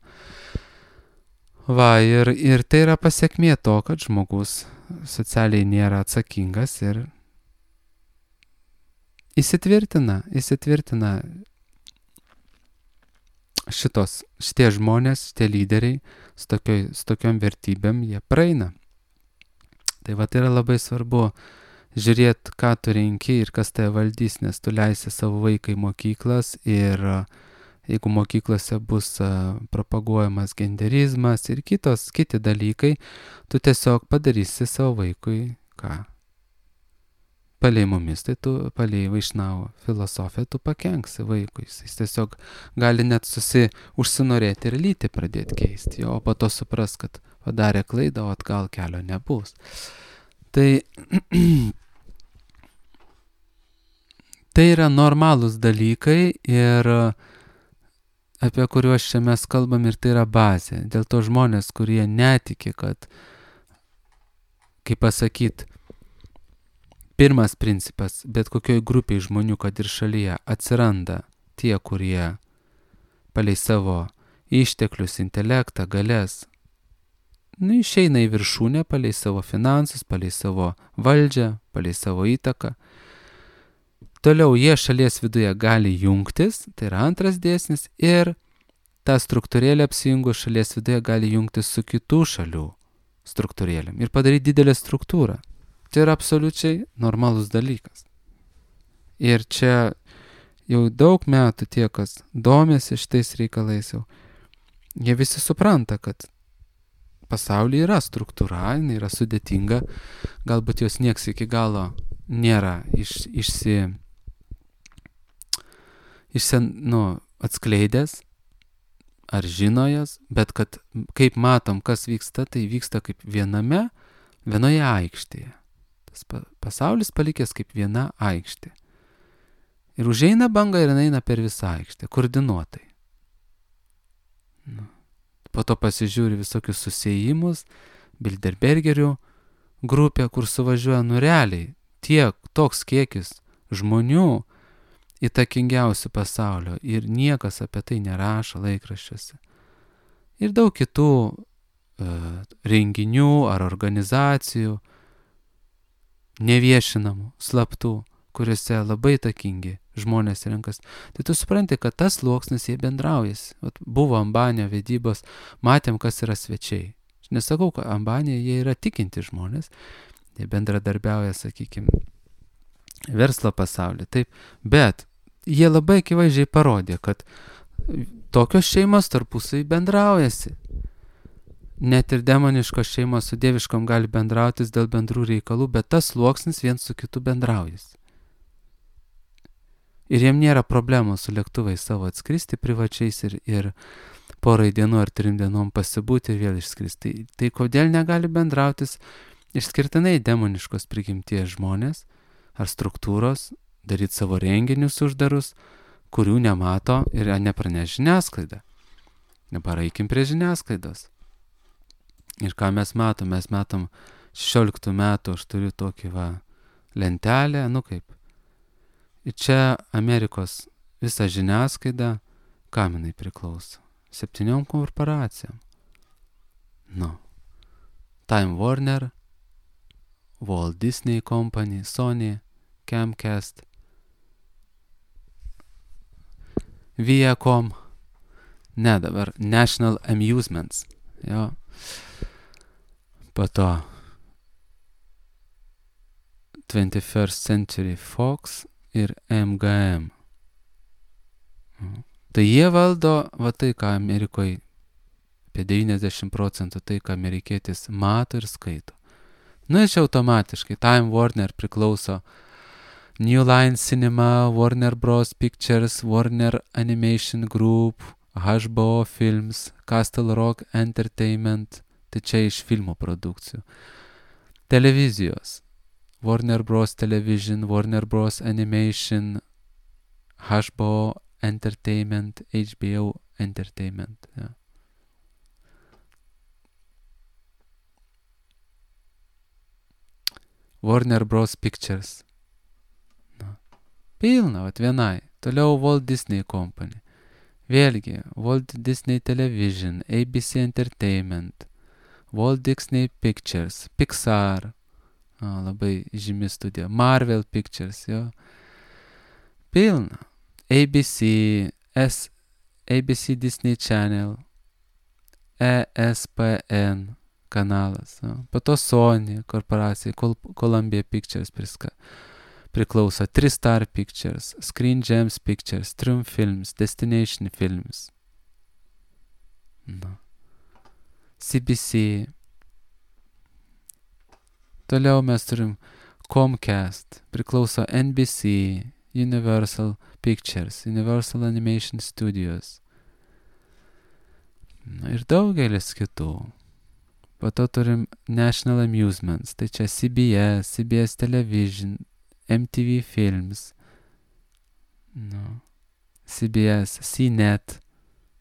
Va, ir, ir tai yra pasiekmė to, kad žmogus socialiai nėra atsakingas ir įsitvirtina, įsitvirtina šitos, šitie žmonės, šitie lyderiai su, tokioj, su tokiom vertybėm, jie praeina. Tai va, tai yra labai svarbu žiūrėti, ką tu renki ir kas tai valdys, nes tu leisi savo vaiką į mokyklas ir jeigu mokyklose bus propaguojamas genderizmas ir kitos, kiti dalykai, tu tiesiog padarysi savo vaikui ką? Palei mumis, tai tu palei Vaišnavo filosofiją tu pakenksi vaikui. Jis tiesiog gali net susi užsinorėti ir lytį pradėti keisti, o po to supras, kad padarė klaidą, o atgal kelio nebus. Tai, tai yra normalūs dalykai ir apie kuriuos čia mes kalbam ir tai yra bazė. Dėl to žmonės, kurie netiki, kad, kaip pasakyt, pirmas principas, bet kokioj grupiai žmonių, kad ir šalyje, atsiranda tie, kurie palei savo išteklius, intelektą, galės, nu, išeina į viršūnę palei savo finansus, palei savo valdžią, palei savo įtaką. Toliau jie šalies viduje gali jungtis, tai yra antras dėsnis, ir tą struktūrėlę apsijungus šalies viduje gali jungtis su kitų šalių struktūrėlėm ir padaryti didelę struktūrą. Tai yra absoliučiai normalus dalykas. Ir čia jau daug metų tie, kas domėsi šitais reikalais, jau, jie visi supranta, kad pasaulyje yra struktūra, jinai yra sudėtinga, galbūt jos nieks iki galo nėra iš, išsi, išsen, nu, atskleidęs ar žinojas, bet kad kaip matom, kas vyksta, tai vyksta kaip viename, vienoje aikštėje. Tas pasaulis palikęs kaip viena aikštė. Ir užeina banga ir eina per visą aikštę, koordinuotai. Nu. Po to pasižiūri visokius susiejimus, Bilderbergerių grupė, kur suvažiuoja nu realiai tiek, toks kiekis žmonių įtakingiausių pasaulio ir niekas apie tai nerašo laikraščiuose. Ir daug kitų e, renginių ar organizacijų neviešinamų, slaptų, kuriuose labai įtakingi žmonės renkas. Tai tu supranti, kad tas sluoksnis jie bendraujasi. Buvo Ambanio vedybos, matėm, kas yra svečiai. Aš nesakau, kad Ambanė jie yra tikinti žmonės, jie bendradarbiauja, sakykime, verslo pasaulyje, taip, bet jie labai akivaizdžiai parodė, kad tokios šeimos tarpusai bendraujasi. Net ir demoniškos šeimos su dieviškom gali bendrautis dėl bendrų reikalų, bet tas sluoksnis viens su kitu bendraujasi. Ir jiem nėra problemų su lėktuvais savo atskristi privačiais ir, ir porai dienų ar trim dienom pasibūti ir vėl išskristi. Tai, tai kodėl negali bendrautis išskirtinai demoniškos prigimties žmonės ar struktūros, daryti savo renginius uždarus, kurių nemato ir nepraneš žiniasklaida. Dabar eikim prie žiniasklaidos. Ir ką mes matom? Mes matom šešioliktų metų, aš turiu tokį va lentelę, nu kaip. Ir čia Amerikos visa žiniasklaida, kam jinai priklauso? Septyniom korporacijom. Nu. Time Warner, Walt Disney Company, Sony, Comcast, Viacom, ne dabar, National Amusements, jo. Po to twenty-first Century Fox ir M G M. Tai jie valdo, va tai, ką Amerikoje apie devyniasdešimt procentų tai, ką amerikietis mato ir skaito. Nu, iš automatiškai. Time Warner priklauso New Line Cinema, Warner Bros. Pictures, Warner Animation Group, H B O Films, Castle Rock Entertainment. Tai čia iš filmų produkcijų. Televizijos. Warner Bros. Television, Warner Bros. Animation, H B O Entertainment, H B O Entertainment. Ja. Warner Bros. Pictures. Na. Pilna, vat vienai. Toliau Walt Disney Company. Vėlgi, Walt Disney Television, A B C Entertainment, Walt Disney Pictures, Pixar, a, labai žymi studija, Marvel Pictures, jo. Pilna. A B C, S, A B C Disney Channel, E S P N kanalas. Jo. Po to Sony korporacija, Col- Columbia Pictures priska, priklauso, TriStar Pictures, Screen Gems Pictures, Triumph Films, Destination Films. Na. C B C. Toliau mes turim Comcast, priklauso N B C, Universal Pictures, Universal Animation Studios. Na, ir daugelis kitų. Po to turim National Amusements, tai čia C B S, C B S Television, M T V Films, no. C B S, C net,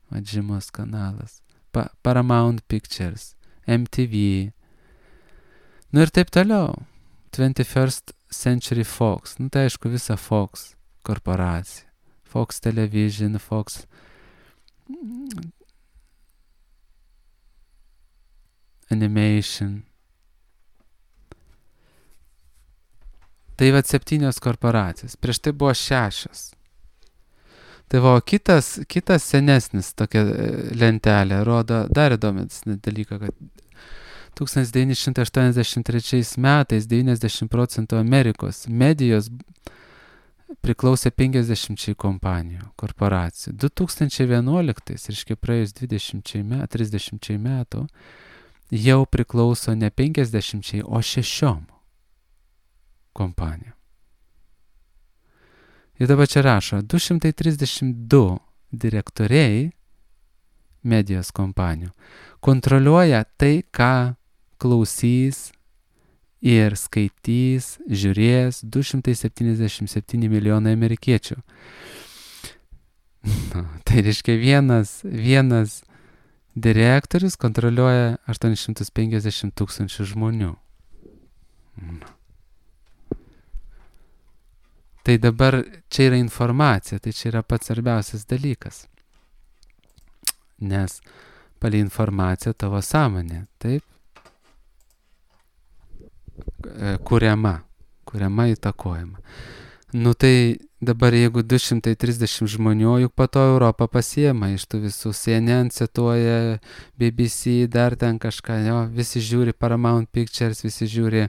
žymus kanalas, pa- Paramount Pictures, M T V, nu ir taip toliau. twenty-first Century Fox, nu tai aišku visa Fox korporacija, Fox Television, Fox Animation. Tai va septynios korporacijos, prieš tai buvo šešios. Tai va kitas, kitas senesnis tokia lentelė rodo dar įdomesnį dalyką, kad tūkstantis devyni šimtai aštuoniasdešimt trečiais metais devyniasdešimt procentų Amerikos medijos priklausė penkiasdešimčiai kompanijų, korporacijų. du tūkstančiai vienuoliktais, reiškia praėjus dvidešimčiai metų, trisdešimčiai metų, jau priklauso ne penkiasdešimčiai, o šešiom kompanijom. Ir dabar čia rašo, du šimtai trisdešimt du direktoriai medijos kompanijų kontroliuoja tai, ką klausys ir skaitys, žiūrės du šimtai septyniasdešimt septyni milijonai amerikiečių. Na, tai reiškia vienas, vienas direktorius kontroliuoja aštuonis šimtus penkiasdešimt tūkstančių žmonių. Na. Tai dabar čia yra informacija, tai čia yra pats svarbiausias dalykas. Nes palei informaciją tavo sąmonė, taip, kuriama, kuriama įtakojama. Nu tai dabar jeigu du šimtai trisdešimt žmonių, juk po to Europą pasiema iš tų visų, C N N cituoja, B B C, dar ten kažką, jo, visi žiūri Paramount Pictures, visi žiūri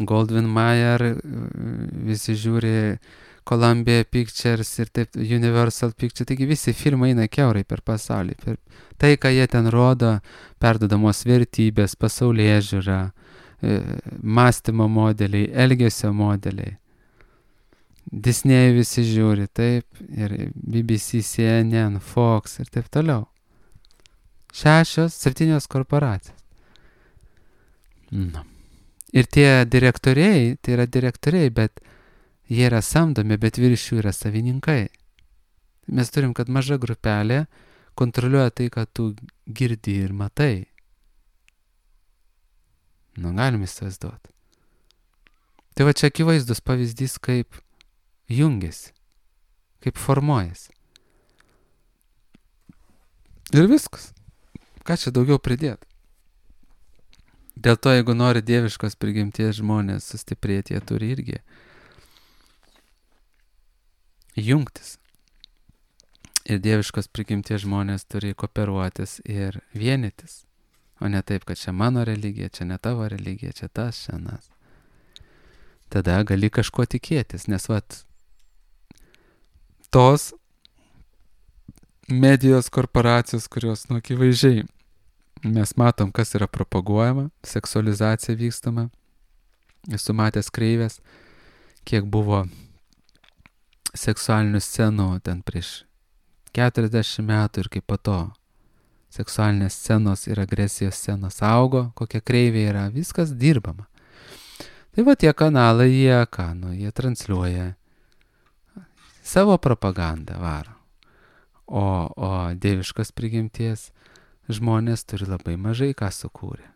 Goldwyn Mayer, visi žiūri Columbia Pictures ir taip, Universal Pictures, taigi visi filmai eina kiaurai per pasaulį. Per tai, ką jie ten rodo, perdodamos vertybės, pasaulėžiūra, mąstymo modeliai, elgesio modeliai. Disney visi žiūri, taip, ir B B C, C N N, Fox ir taip toliau. Šešios, septynios korporacijos. Na. Ir tie direktoriai, tai yra direktoriai, bet jie yra samdomi, bet virš jų yra savininkai. Mes turim, kad maža grupelė kontroliuoja tai, ką tu girdi ir matai. Nu, galim įsivaizduoti. Tai va čia akivaizdus pavyzdys, kaip jungiasi, kaip formuojasi. Ir viskas. Ką čia daugiau pridėti? Dėl to, jeigu nori dieviškos prigimties žmonės sustiprėti, jie turi irgi jungtis. Ir dieviškos prigimties žmonės turi kooperuotis ir vienytis. O ne taip, kad čia mano religija, čia ne tavo religija, čia tas, čia anas. tada gali kažko tikėtis, nes vat tos medijos korporacijos, kurios, nu, akivaizdžiai mes matom, kas yra propaguojama, seksualizacija vykstama, esu matęs kreivės, kiek buvo seksualinių scenų ten prieš keturiasdešimt metų ir kaip po to seksualinės scenos ir agresijos scenos augo, kokia kreivė yra, viskas dirbama. Tai va tie kanalai, jie ką, nu, jie transliuoja savo propagandą varo. O, o dieviškos prigimties žmonės turi labai mažai ką sukūrė.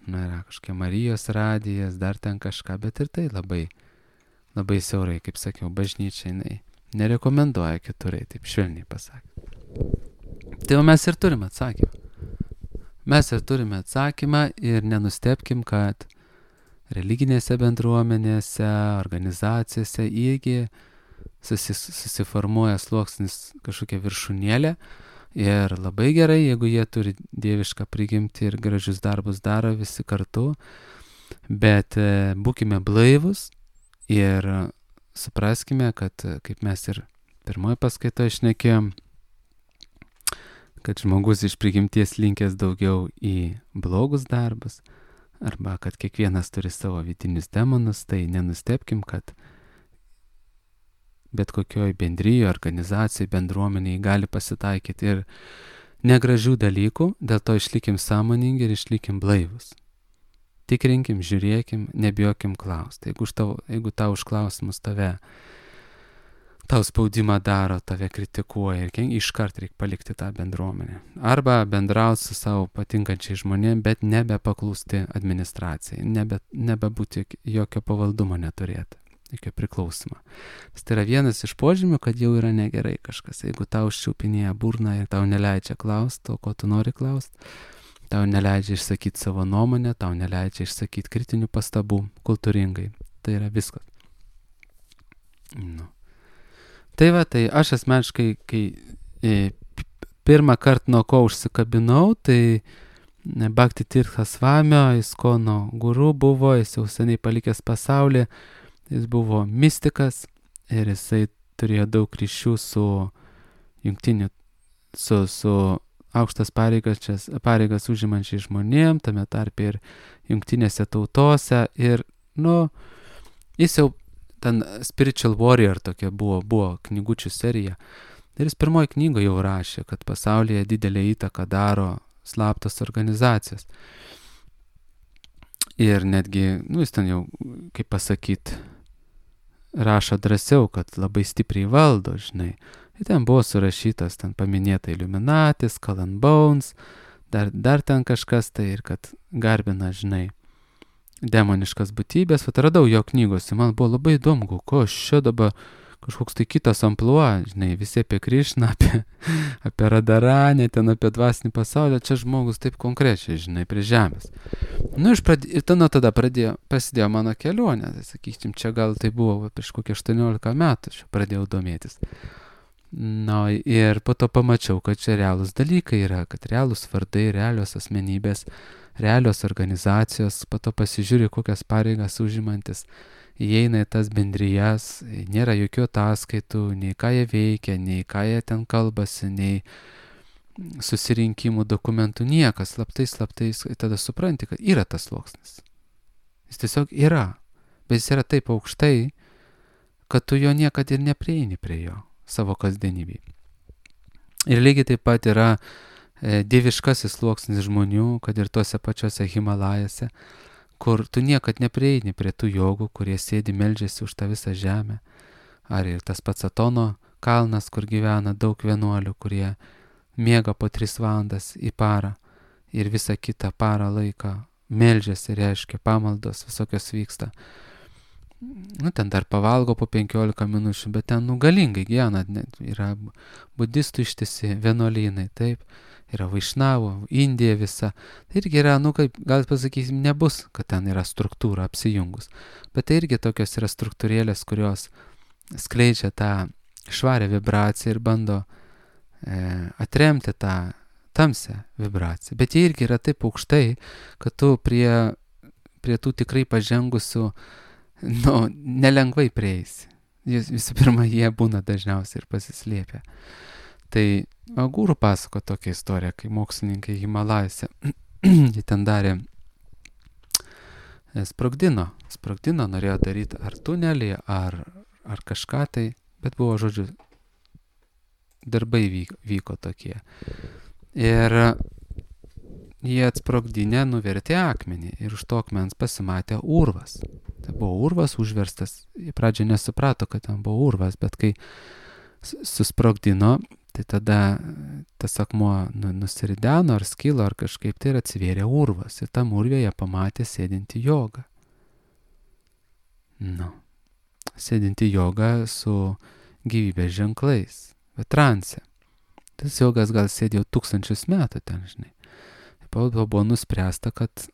Na, yra kažkokia Marijos radijas, dar ten kažką, bet ir tai labai, labai siaurai, kaip sakiau, bažnyčia jinai nerekomenduoja keturai, taip švelniai pasakė. Tai mes ir turime atsakymą. Mes ir turime atsakymą ir nenustebkim, kad religinėse bendruomenėse, organizacijose irgi susis, susiformuoja sluoksnis kažkokia viršūnėlė. Ir labai gerai, jeigu jie turi dievišką prigimtį ir gražius darbus daro visi kartu, bet e, būkime blaivus ir supraskime, kad, kaip mes ir pirmoje paskaitoje šnekėjom, kad žmogus iš prigimties linkęs daugiau į blogus darbus, arba kad kiekvienas turi savo vidinius demonus, tai nenustebkim, kad bet kokioj bendryje, organizacijai, bendruomeniai gali pasitaikyti ir negražių dalykų, dėl to išlikim sąmoningi ir išlikim blaivus. Tikrinkim, žiūrėkim, nebijokim klausti. Jeigu, tau, jeigu tau už klausimus tave, tau spaudimą daro, tave kritikuoja, ir iškart reikia palikti tą bendruomenę. Arba bendrauti su savo patinkančiai žmonėm, bet nebepaklusti administracijai, nebe, nebebūti jokio pavaldumo neturėti. Jokio priklausimo. Tai yra vienas iš požymių, kad jau yra negerai kažkas. Jeigu tau užčiaupinėja burną ir tau neleidžia klausti to, ko tu nori klausti, tau neleidžia išsakyti savo nuomonę, tau neleidžia išsakyti kritinių pastabų kultūringai. Tai yra viskas. Nu. Tai va, tai aš asmeniškai, kai e, pirmą kartą nuo ko užsikabinau, tai Bhakti Tirtha Swamio, Iskono guru buvo, jis jau seniai palikęs pasaulį. Jis buvo mistikas ir jisai turėjo daug ryšių su jungtiniu, su, su aukštas pareigas, pareigas užimančiai žmonėm, tame tarpe ir jungtinėse tautose. Ir, nu, jis jau ten Spiritual Warrior tokia buvo, buvo knygučių serija. Ir jis pirmoji knygoje jau rašė, kad pasaulyje didelę įtaką daro slaptos organizacijos. Ir netgi, nu, jis ten jau, kaip pasakyti, rašo drąsiau, kad labai stipriai valdo, žinai. Ir ten buvo surašytas, ten paminėta Illuminati, Skull and Bones, dar, dar ten kažkas tai, ir kad garbina, žinai, demoniškas būtybės. Vat radau jo knygos, ir man buvo labai įdomu, ko aš čia dabar kažkoks tai kitas amplua, žinai, visi apie Krišną, apie, apie Radaranę, ten apie dvasinį pasaulį, čia žmogus taip konkrečiai, žinai, prie žemės. Nu, pradė, ir tada, tada pradėjo, prasidėjo mano kelionė, tai sakykim, čia gal tai buvo prieš kokį aštuoniolika metų, aš pradėjau domėtis. Na, ir po to pamačiau, kad čia realūs dalykai yra, kad realūs vardai, realios asmenybės, realios organizacijos, po to pasižiūri, kokias pareigas užimantis, įeina į tas bendrijas, nėra jokių ataskaitų, nei ką jie veikia, nei ką jie ten kalbasi, nei susirinkimų dokumentų, niekas, slaptai, slaptai, tada supranti, kad yra tas sluoksnis. Jis tiesiog yra, bet jis yra taip aukštai, kad tu jo niekad ir neprieini prie jo savo kasdienybėje. Ir lygiai taip pat yra e, dieviškasis sluoksnis žmonių, kad ir tuose pačiuose Himalajose, kur tu niekad neprieini prie tų jogų, kurie sėdi meldžiasi už tą visą žemę. Ar ir tas pats Atono kalnas, kur gyvena daug vienuolių, kurie miega po tris valandas į parą ir visą kitą parą laiką meldžiasi, reiškia, pamaldos visokios vyksta. Nu, ten dar pavalgo po penkiolika minučių, bet ten, nu, galingai gyvena, yra budistų ištisi vienuolynai, taip. Yra Vaišnavų, Indija visa. Tai irgi yra, nu, kaip gal pasakysim, nebus, kad ten yra struktūra apsijungus. Bet tai irgi tokios yra struktūrėlės, kurios skleidžia tą švarę vibraciją ir bando e, atremti tą tamsią vibraciją. Bet jie irgi yra taip aukštai, kad tu prie, prie tų tikrai pažengusių nu, nelengvai prieisi. Vis, visų pirma, jie būna dažniausiai ir pasislėpę. Tai guru pasako tokią istoriją, kai mokslininkai Himalajose, jie ten darė, sprogdino, sprogdino, norėjo daryti ar tunelį, ar, ar kažką tai, bet buvo, žodžiu, darbai vyko, vyko tokie. Ir jie atsprogdinę nuvertė akmenį ir už to akmens pasimatė urvas. Tai buvo urvas užverstas. Į pradžią nesuprato, kad ten buvo urvas, bet kai susprogdino, tai tada tas akmuo nu, nusirideno ar skilo ar kažkaip tai ir atsivėrė urvas. Ir tam urvėje pamatė sėdinti jogą. Nu, sėdinti jogą su gyvybės ženklais, bet transe. Tas jogas gal sėdėjo tūkstančius metų ten, žinai. Buvo nuspręsta, kad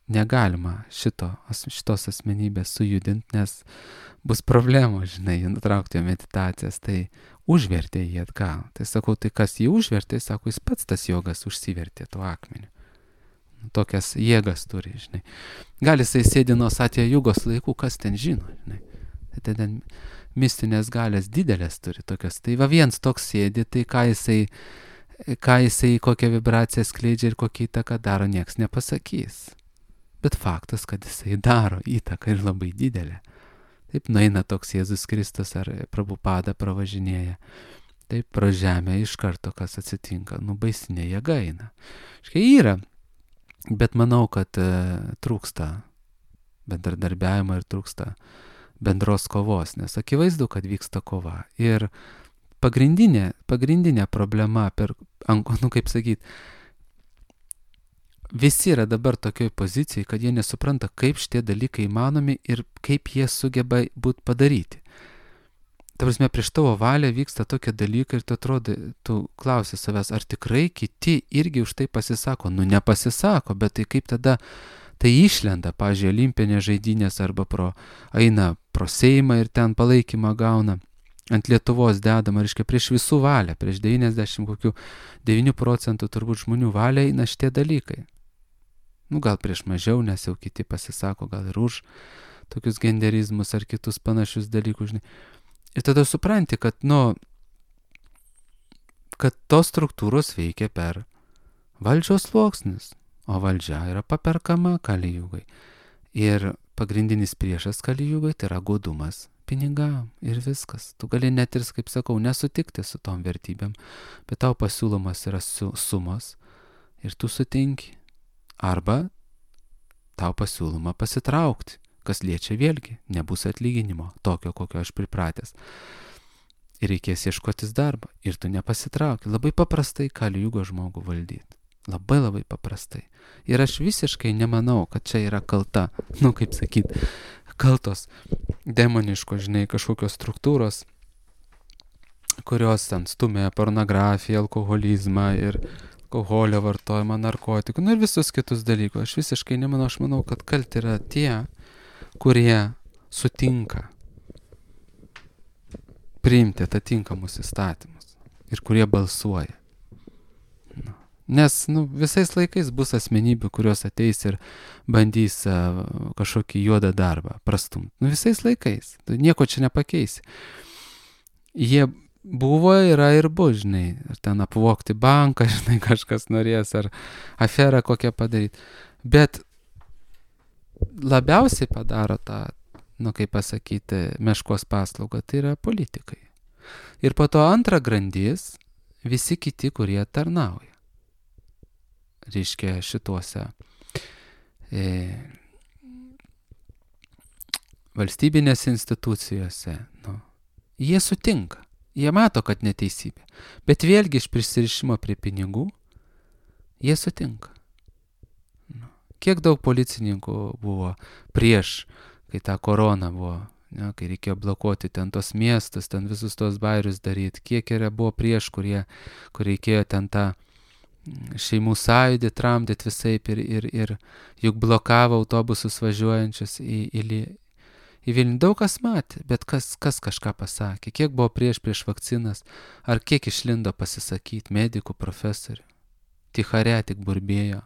negalima šito, šitos asmenybės sujudinti, nes bus problemų, žinai, nutraukti jo meditacijas, tai užvertė jį atgal. Tai sakau, tai kas jį užvertė, sako, jis pats tas jogas užsivertė tuo akmeniu. Tokias jėgas turi, žinai. Gal jisai sėdi nuo Satya Jugos laikų, kas ten žino, žinai. Tai ten mistinės galės didelės turi tokias. Tai va viens toks sėdi, tai ką jisai ką jisai, kokią vibraciją skleidžia ir kokią įtaką daro, nieks nepasakys. Bet faktas, kad jisai daro įtaką ir labai didelę. Taip nueina toks Jėzus Kristus ar Prabhupada pravažinėja. Taip pro žemę iš karto, kas atsitinka, nu baisinė jėga eina. Škai yra, bet manau, kad e, trūksta bendradarbiavimo ir trūksta bendros kovos, nes akivaizdu, kad vyksta kova. Ir Pagrindinė, pagrindinė problema, per, nu kaip sakyt, visi yra dabar tokioj pozicijai, kad jie nesupranta, kaip šitie dalykai įmanomi ir kaip jie sugeba būti padaryti. Ta prasme, prieš tavo valią vyksta tokie dalykai ir tu atrodo, tu klausi savęs, ar tikrai kiti irgi už tai pasisako. Nu, nepasisako, bet tai kaip tada tai išlenda, pavyzdžiui, olimpinės žaidynės arba pro, eina pro Seimą ir ten palaikymą gauna. Ant Lietuvos dedama, reiškia, prieš visų valią, prieš devyniasdešimt kokių devynių procentų turbūt žmonių valią eina šitie dalykai. Nu, gal prieš mažiau, nes jau kiti pasisako, gal ir už tokius genderizmus ar kitus panašius dalykus, žinai. Ir tada supranti, kad, nu, kad tos struktūros veikia per valdžios sluoksnius, o valdžia yra paperkama Kalijugai. Ir pagrindinis priešas Kalijugai tai yra godumas pinigam ir viskas. Tu gali net ir, kaip sakau, nesutikti su tom vertybėm, bet tau pasiūlomas yra su, sumos ir tu sutinki. Arba tau pasiūloma pasitraukti, kas liečia vėlgi, nebus atlyginimo, tokio, kokio aš pripratęs. Ir reikės ieškotis darbą ir tu nepasitrauki. Labai paprastai Kalijugo žmogų valdyti. Labai labai paprastai. Ir aš visiškai nemanau, kad čia yra kalta, nu kaip sakyt, kaltos demoniško, žinai, kažkokios struktūros, kurios ten stumia pornografiją, alkoholizmą ir alkoholio vartojimą, narkotikų, nu ir visus kitus dalykus. Aš visiškai nemanau, aš manau, kad kalti yra tie, kurie sutinka priimti atitinkamus įstatymus ir kurie balsuoja. Nu. Nes nu, visais laikais bus asmenybių, kurios ateis ir bandys uh, kažkokį juodą darbą prastumti. Nu, visais laikais. Tu nieko čia nepakeisi. Jie buvo, yra ir bus, žinai. Ar ten apvogti banką, žinai, kažkas norės, ar aferą kokią padaryti. Bet labiausiai padaro tą, nu kaip pasakyti, meškos paslaugą, tai yra politikai. Ir po to antra grandis, visi kiti, kurie tarnauja. Reiškia šituose e, valstybinėse institucijose. Nu, jie sutinka, jie mato, kad neteisybė. Bet vėlgi iš prisirišimo prie pinigų, jie sutinka. Nu, kiek daug policininkų buvo prieš, kai ta korona buvo, ne, kai reikėjo blokuoti ten tos miestus, ten visus tos bairius daryti, kiek yra buvo prieš, kurie, kur reikėjo ten tą šeimų sąjūdį tramdyti visaip ir, ir, ir juk blokavo autobusus važiuojančius į, į, į Vilnių. Daug kas matė, bet kas, kas kažką pasakė, kiek buvo prieš prieš vakcinas, ar kiek išlindo pasisakyti medikų, profesorių. Tichare tik burbėjo.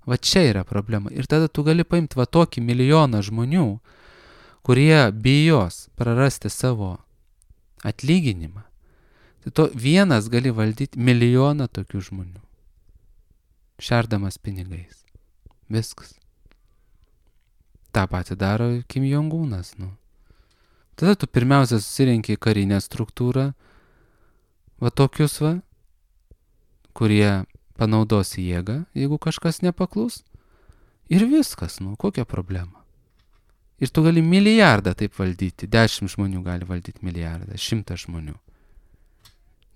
Va čia yra problema. Ir tada tu gali paimti va tokį milijoną žmonių, kurie bijos prarasti savo atlyginimą. Tai to vienas gali valdyti milijoną tokių žmonių. Šerdamas pinigais. Viskas. Ta pati daro Kim Jong-unas, nu. Tada tu pirmiausia susirenki karinę struktūrą, va tokius va, kurie panaudos jėgą, jeigu kažkas nepaklus. Ir viskas, nu, kokia problema. Ir tu gali milijardą taip valdyti, dešimt žmonių gali valdyti milijardą, šimtas žmonių.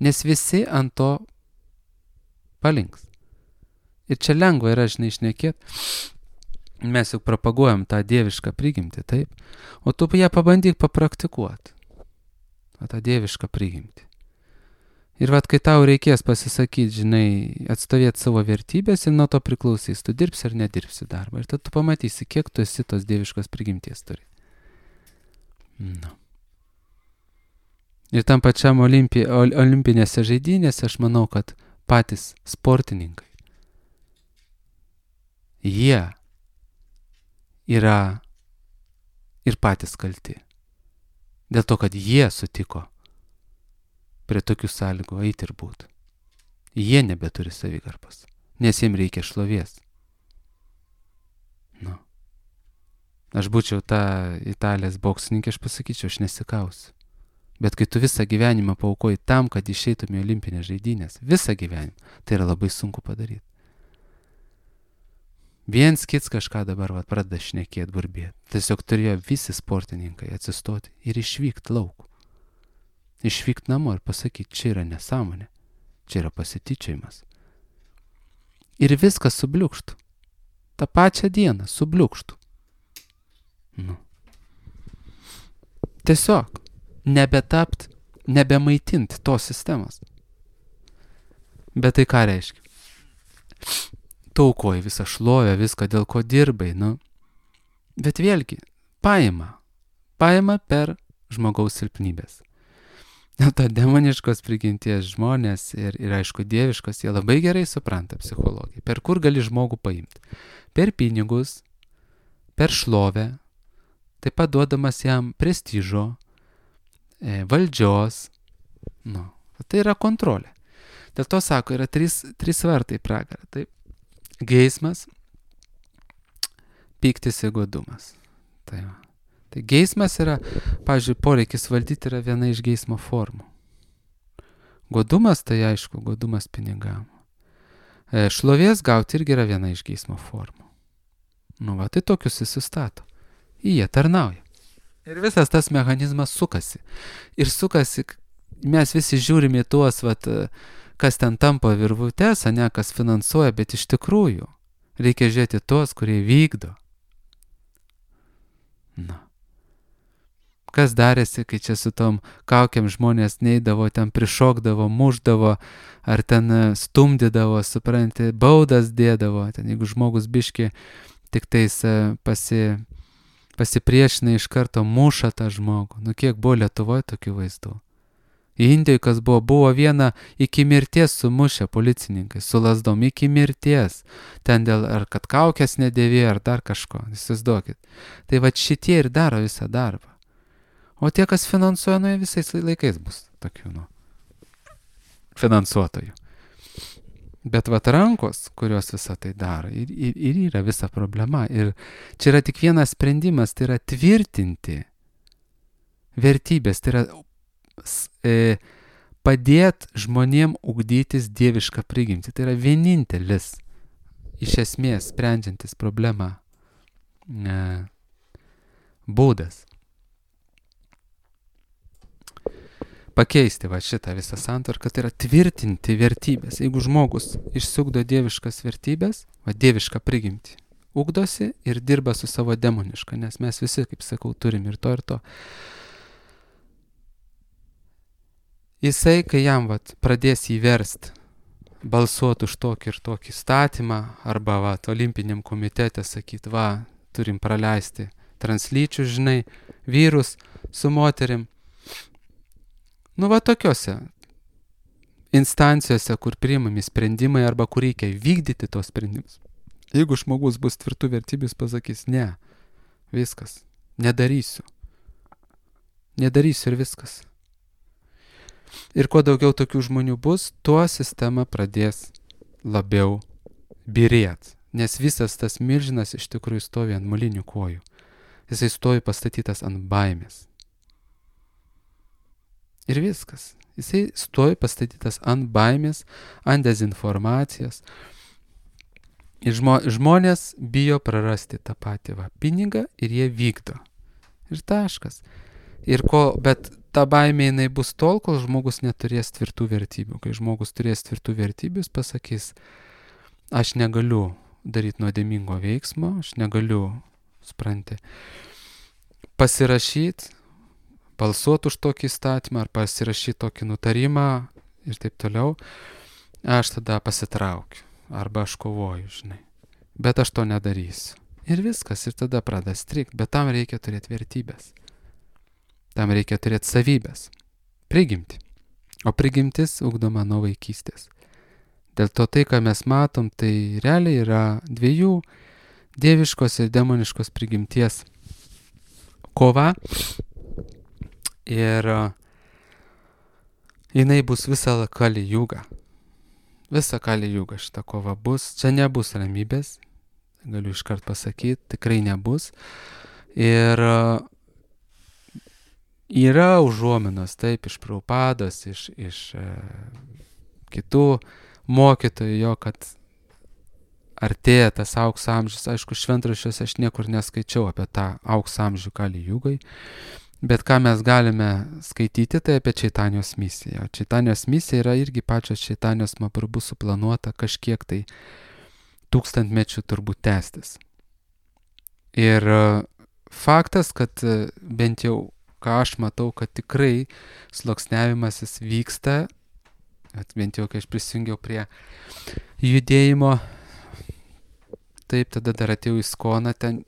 Nes visi ant to palinks. Ir čia lengva yra, žinai, šnekėt. Mes juk propaguojam tą dievišką prigimtį, taip? O tu ją pabandyk papraktikuoti. O tą dievišką prigimtį. Ir vat, kai tau reikės pasisakyti, žinai, atstovėti savo vertybės ir nuo to priklausys, tu dirbsi ar nedirbsi darbą. Ir tada tu pamatysi, kiek tu esi tos dieviškos prigimties turi. Nu. Ir tam pačiam olimpi, olimpinėse žaidynėse aš manau, kad patys sportininkai, jie yra ir patys kalti. Dėl to, kad jie sutiko prie tokių sąlygų eiti ir būti. Jie nebeturi savigarbos, nes jiems reikia šlovės. Nu. Aš būčiau ta Italijos boksininkė, aš pasakyčiau, aš nesikausiu. Bet kai tu visą gyvenimą paaukoji tam, kad išeitum į olimpinės žaidynės, visą gyvenimą, tai yra labai sunku padaryti. Viens kits kažką dabar va, pradeda šnekėti, burbėti. Tiesiog turėjo visi sportininkai atsistoti ir išvykti lauk. Išvykti namo ir pasakyti, čia yra nesąmonė, čia yra pasityčiojimas. Ir viskas subliukštų. Ta pačią dieną subliukštų. Nu. Tiesiog nebetapt, nebemaitinti tos sistemos. Bet tai ką reiškia? Tu aukoji visą šlovę, viską, dėl ko dirbai, nu. Bet vėlgi, paima. Paima per žmogaus silpnybės. Dėl to demoniškos prigimties žmonės ir, ir aišku dieviškos, jie labai gerai supranta psichologiją. Per kur gali žmogų paimti? Per pinigus, per šlovę, taip pat duodamas jam prestižo, e, valdžios. Nu, tai yra kontrolė. Dėl to sako, yra trys, trys vartai pragarą. Taip, geismas, pyktis ir godumas. Tai va. Tai geismas yra, pavyzdžiui, poreikis valdyti yra viena iš geismo formų. Godumas, tai aišku, godumas pinigam. E, šlovės gauti irgi yra viena iš geismo formų. Nu va, tai tokius jis sustato. Jie tarnauja. Ir visas tas mechanizmas sukasi. Ir sukasi, mes visi žiūrime į tuos, vat, kas ten tampa virvutes, ne, kas finansuoja, bet iš tikrųjų reikia žiūrėti tuos, kurie vykdo. Na. Kas darėsi, kai čia su tom kaukiam žmonės neidavo, ten prišokdavo, muždavo, ar ten stumdydavo, supranti, baudas dėdavo, ten jeigu žmogus biški tik tais pasi, pasipriešina iš karto muša tą žmogų. Nu kiek buvo Lietuvoje tokių vaizdų. Indijoje kas buvo, buvo viena iki mirties sumušę policininkai, su lasdom iki mirties. Ten dėl ar kad kaukės nedėvėjo, ar dar kažko, įsivaizduokit. Tai va šitie ir daro visą darbą. O tie, kas finansuoja, nu, visais laikais bus tokių, nu, finansuotojų. Bet vat rankos, kurios visą tai daro, ir, ir, ir yra visa problema. Ir čia yra tik vienas sprendimas, tai yra tvirtinti vertybės, tai yra e, padėti žmonėm ugdytis dievišką prigimtį. Tai yra vienintelis, iš esmės, sprendžiantis problemą e, būdas. Pakeisti va šitą visą santvarką, tai yra tvirtinti vertybės. Jeigu žmogus išsiugdo dieviškas vertybės, va dievišką prigimtį, ugdosi ir dirba su savo demoniška, nes mes visi, kaip sakau, turim ir to ir to. Jisai, kai jam va, pradės įverst, balsuoti už tokį ir tokį statymą, arba va, olimpiniam komitete sakyti, va, turim praleisti translyčių, žinai, vyrus su moterim. Nu va tokiuose instancijose, kur priimami sprendimai arba kur reikia vykdyti tos sprendimus. Jeigu žmogus bus tvirtų vertybių, jis pasakys, ne, viskas, nedarysiu. Nedarysiu ir viskas. Ir kuo daugiau tokių žmonių bus, tuo sistema pradės labiau byrėt. Nes visas tas milžinas iš tikrųjų stovi ant molinių kojų. Jisai stovi pastatytas ant baimės. Ir viskas. Jisai stovi pastatytas ant baimės, ant dezinformacijos. Ir žmo, žmonės bijo prarasti tą patį va, pinigą ir jie vykdo. Ir taškas. Ir ko, bet ta baimė jinai bus tol, kol žmogus neturės tvirtų vertybių. Kai žmogus turės tvirtų vertybių, jis pasakys, aš negaliu daryti nuodėmingo veiksmo, aš negaliu, supranti, pasirašyti, balsuoti už tokį įstatymą ar pasirašyti tokį nutarimą ir taip toliau, aš tada pasitraukiu arba aš kovoju, žinai. Bet aš to nedarysiu. Ir viskas, ir tada pradeda strikti, bet tam reikia turėti vertybės. Tam reikia turėti savybės, prigimti. O prigimtis ugdoma nuo vaikystės. Dėl to tai, ką mes matom, tai realiai yra dviejų dieviškos ir demoniškos prigimties kova. Ir jinai bus visą Kali Jugą. Visą Kali Jugą šita kova bus. Čia nebus ramybės, galiu iškart pasakyti, tikrai nebus. Ir yra užuominos, taip, iš Prabhupados, iš, iš e, kitų mokytojų, jo, kad artėja tas aukso amžius. Aišku, šventraščiuose aš niekur neskaičiau apie tą aukso amžių Kali Jugai, bet ką mes galime skaityti, tai apie Čaitanijos misiją. Čaitanijos misija yra irgi pačios Čaitanijos Mahaprabhu suplanuota kažkiek tai tūkstantmečių turbūt tęstis. Ir faktas, kad bent jau ką aš matau, kad tikrai sluoksniavimasis vyksta, bent jau kai aš prisijungiau prie judėjimo, taip, tada dar atėjau į Skoną ten,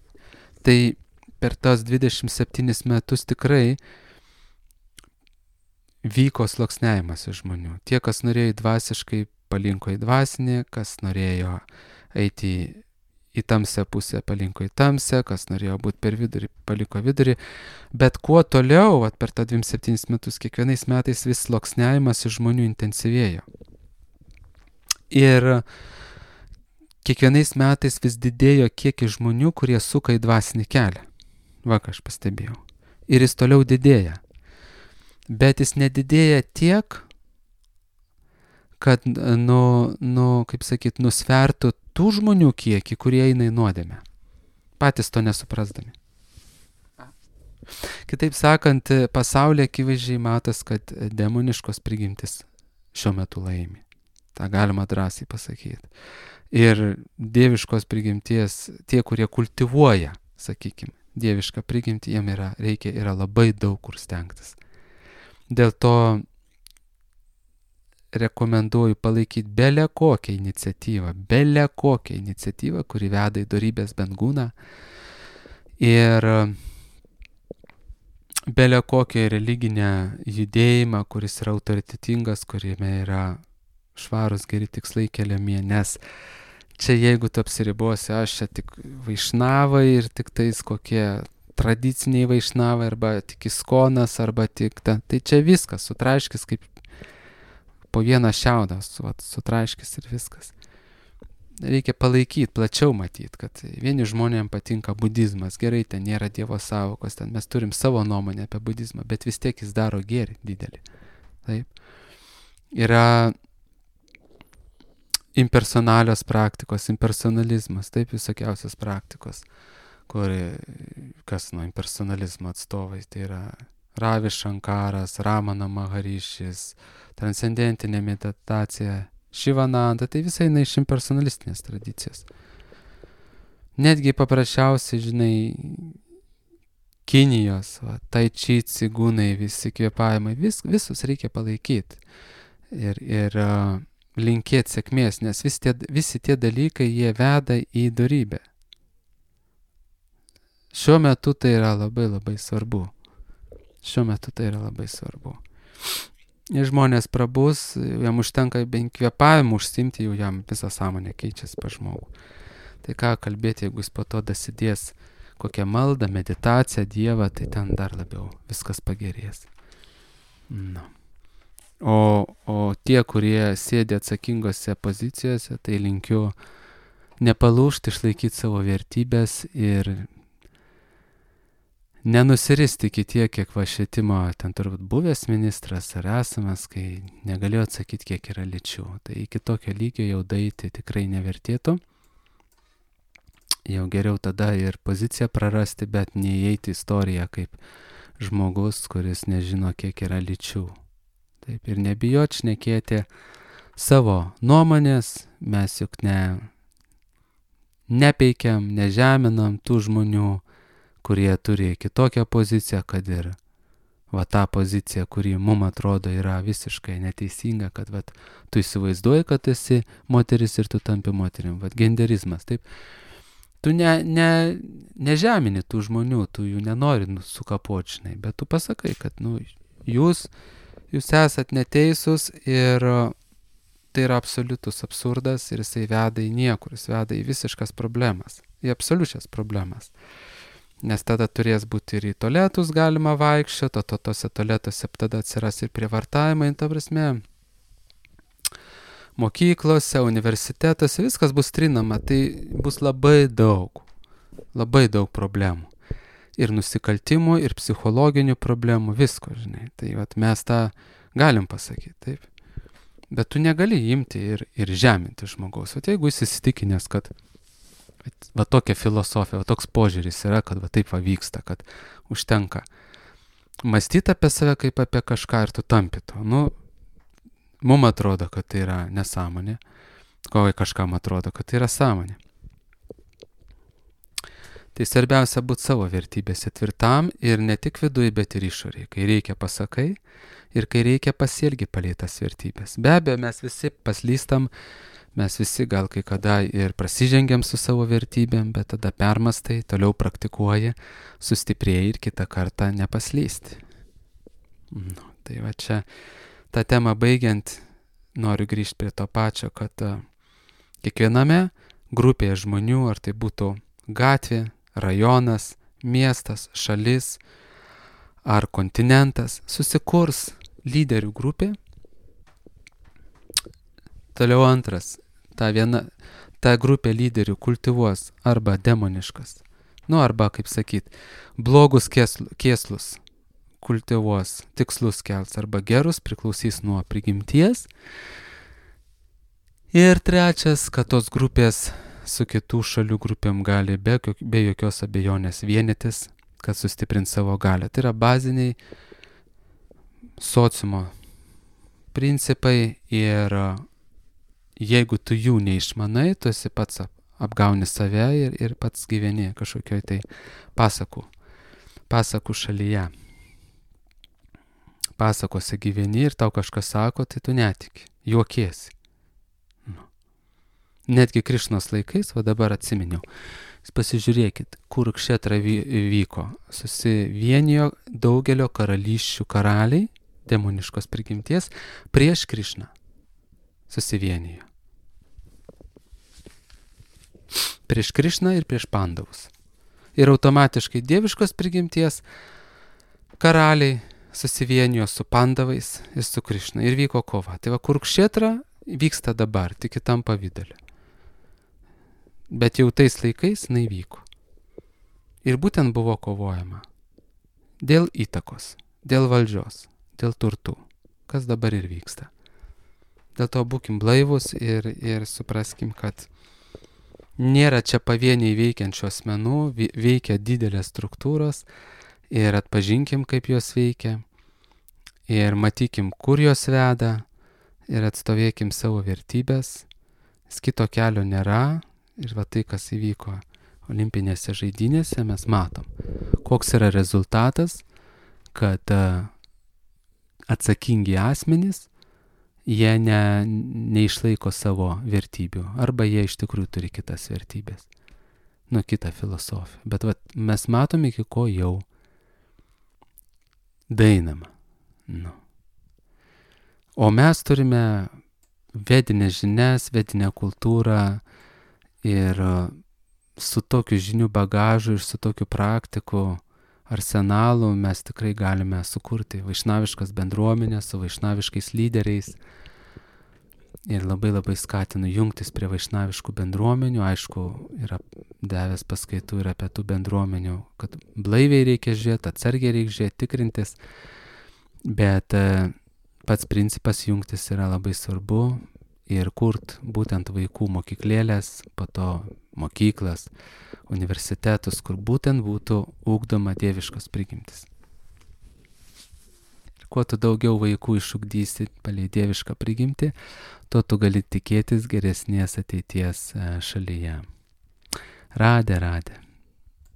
tai per tas dvidešimt septynis metus tikrai vyko sluoksniavimas iš žmonių. Tie, kas norėjo dvasiškai, palinko į dvasinį, kas norėjo eiti į, į tamsią pusę, palinko į tamsią, kas norėjo būti per vidurį, paliko vidurį. Bet kuo toliau, at per tą dvidešimt septynis metus, kiekvienais metais vis sluoksniavimas iš žmonių intensyvėjo. Ir kiekvienais metais vis didėjo kiekis žmonių, kurie suka į dvasinį kelią. Va, ką aš pastebėjau. Ir jis toliau didėja. Bet jis nedidėja tiek, kad, nu, nu, kaip sakyt, nusvertų tų žmonių kiekį, kurie eina į nuodėmę. Patys to nesuprasdami. Kitaip sakant, pasaulyje akivaizdžiai matos, kad demoniškos prigimtis šiuo metu laimi. Ta galima drąsiai pasakyti. Ir dieviškos prigimties, tie, kurie kultivuoja, sakykime, dievišką prigimtį, jiem yra, reikia, yra labai daug kur stengtis. Dėl to rekomenduoju palaikyti belę kokią iniciatyvą, belę kokią iniciatyvą, kuri veda į dorybės bendgūną ir belę kokią religinę judėjimą, kuris yra autoritetingas, kuriame yra švarus geri tikslai keliami, nes čia jeigu tu apsiribosi, aš čia tik vaišnavai ir tik tais kokie tradiciniai vaišnavai, arba tik iskonas, arba tik ta, tai čia viskas, sutraiškis kaip po vieną šiaudą, su, sutraiškis ir viskas. Reikia palaikyti, plačiau matyti, kad vieni žmonėms patinka budizmas, gerai, ten nėra dievo savokos, ten mes turim savo nuomonę apie budizmą, bet vis tiek jis daro gėrį didelį. Taip. Yra impersonalios praktikos, impersonalizmas, taip, visokiausios praktikos, kur, kas nuo impersonalizmo atstovai, tai yra Ravi Shankaras, Ramana Maharišis, transcendentinė meditacija, Šivananda, tai visai eina iš impersonalistinės tradicijos. Netgi paprasčiausiai, žinai, Kinijos, va, tai či, cigūnai, visi kvėpavimai, vis, visus reikia palaikyti ir, ir uh, linkėti sėkmės, nes vis tie, visi tie dalykai, jie veda į dorybę. Šiuo metu tai yra labai labai svarbu. Šiuo metu tai yra labai svarbu. Ir žmonės prabus, jam užtenka bent kvėpavimu užsimti, jau jam visą sąmonę keičiasi pa žmogų. Tai ką kalbėti, jeigu jis po to dasidės kokią maldą, meditaciją, Dievą, tai ten dar labiau viskas pagerės. Nu. O, o tie, kurie sėdi atsakingose pozicijose, tai linkiu nepalūžti, išlaikyti savo vertybės ir nenusiristi iki tiek, kiek va švietimo ten turbūt buvęs ministras ar esamas, kai negalėjo atsakyti, kiek yra lyčių. Tai iki tokio lygio jau daeiti tikrai nevertėtų. Jau geriau tada ir poziciją prarasti, bet neįeiti į istoriją kaip žmogus, kuris nežino, kiek yra lyčių. Taip, ir nebijot šnekėti savo nuomonės, mes juk ne, nepeikiam, nežeminam tų žmonių, kurie turi kitokią poziciją, kad ir va tą poziciją, kuri mum atrodo yra visiškai neteisinga, kad va, tu įsivaizduoji, kad esi moteris ir tu tampi moterim. Va, genderizmas, taip. Tu ne, ne, nežemini tų žmonių, tu jų nenori sukapočinai, bet tu pasakai, kad nu, jūs, jūs esat neteisūs ir tai yra absoliutus absurdas ir jisai veda į niekur, jis veda į visiškas problemas, į absoliučias problemas. Nes tada turės būti ir į tualetus galima vaikščioti, o to tose tualetuose tada atsiras ir prievartavimai, ta prasme, mokyklose, universitetuose, viskas bus trinama, tai bus labai daug, labai daug problemų. Ir nusikaltimų, ir psichologinių problemų, visko, žinai. Tai vat, mes tą galim pasakyti, taip. Bet tu negali imti ir, ir žeminti žmogaus. O jeigu jis įsitikinęs, kad va tokia filosofija, va toks požiūris yra, kad va taip va vyksta, kad užtenka mąstyti apie save kaip apie kažką ir tu tampi to. Nu, mum atrodo, kad tai yra nesąmonė, kovai kažkam atrodo, kad tai yra sąmonė. Tai svarbiausia būti savo vertybėse tvirtam ir ne tik viduje, bet ir išorėje. Kai reikia pasakai ir kai reikia pasielgi palei tas vertybės. Be abejo, mes visi paslystam, mes visi gal kai kada ir prasižengiam su savo vertybėm, bet tada permastai, toliau praktikuoji, sustiprėjai ir kitą kartą nepaslysti. Nu, tai va čia tą temą baigiant noriu grįžti prie to pačio, kad uh, kiekviename grupėje žmonių, ar tai būtų gatvė, rajonas, miestas, šalis ar kontinentas, susikurs lyderių grupė. Toliau antras. Ta, viena, ta grupė lyderių kultivuos arba demoniškas, nu arba, kaip sakyt, blogus kėslus kultivuos, tikslus kels arba gerus, priklausys nuo prigimties. Ir trečias, kad tos grupės su kitų šalių grupėm gali be, be jokios abejonės vienytis, kad sustiprint savo galią. Tai yra baziniai sociumo principai ir jeigu tu jų neišmanai, tu esi pats apgauni save ir, ir pats gyveni kažkokioj tai pasakų, pasakų šalyje. Pasakose gyveni ir tau kažkas sako, tai tu netiki, juokiesi. Nu. Netgi Krišnos laikais, va dabar atsiminiau, pasižiūrėkit, kur Kšetra vyko. Susivienijo daugelio karalysčių karaliai, demoniškos prigimties, prieš Krišną. Susivienijo. Prieš Krišną ir prieš Pandavus. Ir automatiškai dieviškos prigimties karaliai susivienijo su Pandavais ir su Krišna. Ir vyko kova. Tai va, Kurukšetra vyksta dabar, tik kitam pavidale. Bet jau tais laikais jinai vyko. Ir būtent buvo kovojama. Dėl įtakos, dėl valdžios, dėl turtų. Kas dabar ir vyksta. Dėl to būkim blaivus ir, ir supraskim, kad nėra čia pavieniai veikiančių asmenų, veikia didelės struktūros ir atpažinkim, kaip jos veikia ir matykim, kur jos veda ir atstovėkim savo vertybės. Kito kelio nėra ir va tai, kas įvyko olimpinėse žaidynėse, mes matom, koks yra rezultatas, kad atsakingi asmenys jie ne, neišlaiko savo vertybių, arba jie iš tikrųjų turi kitas vertybės, nu kitą filosofiją. Bet vat, mes matom, iki ko jau daeinama. Nu. O mes turime vedinės žinias, vedinę kultūrą ir su tokiu žinių bagažu ir su tokiu praktiku arsenalu mes tikrai galime sukurti vaišnaviškas bendruomenės su vaišnaviškais lyderiais. Ir labai labai skatinu jungtis prie vaišnaviškų bendruomenių. Aišku, yra davęs paskaitų ir apie tų bendruomenių, kad blaiviai reikia žiūrėti, atsargiai reikia žiūrėti, tikrintis. Bet pats principas jungtis yra labai svarbu ir kurt būtent vaikų mokyklėlės, po to mokyklas, universitetus, kur būtent būtų ugdoma dieviškos prigimtis. Kuo tu daugiau vaikų išugdysi palei dievišką prigimtį, tuo tu gali tikėtis geresnės ateities šalyje. Radė, radė.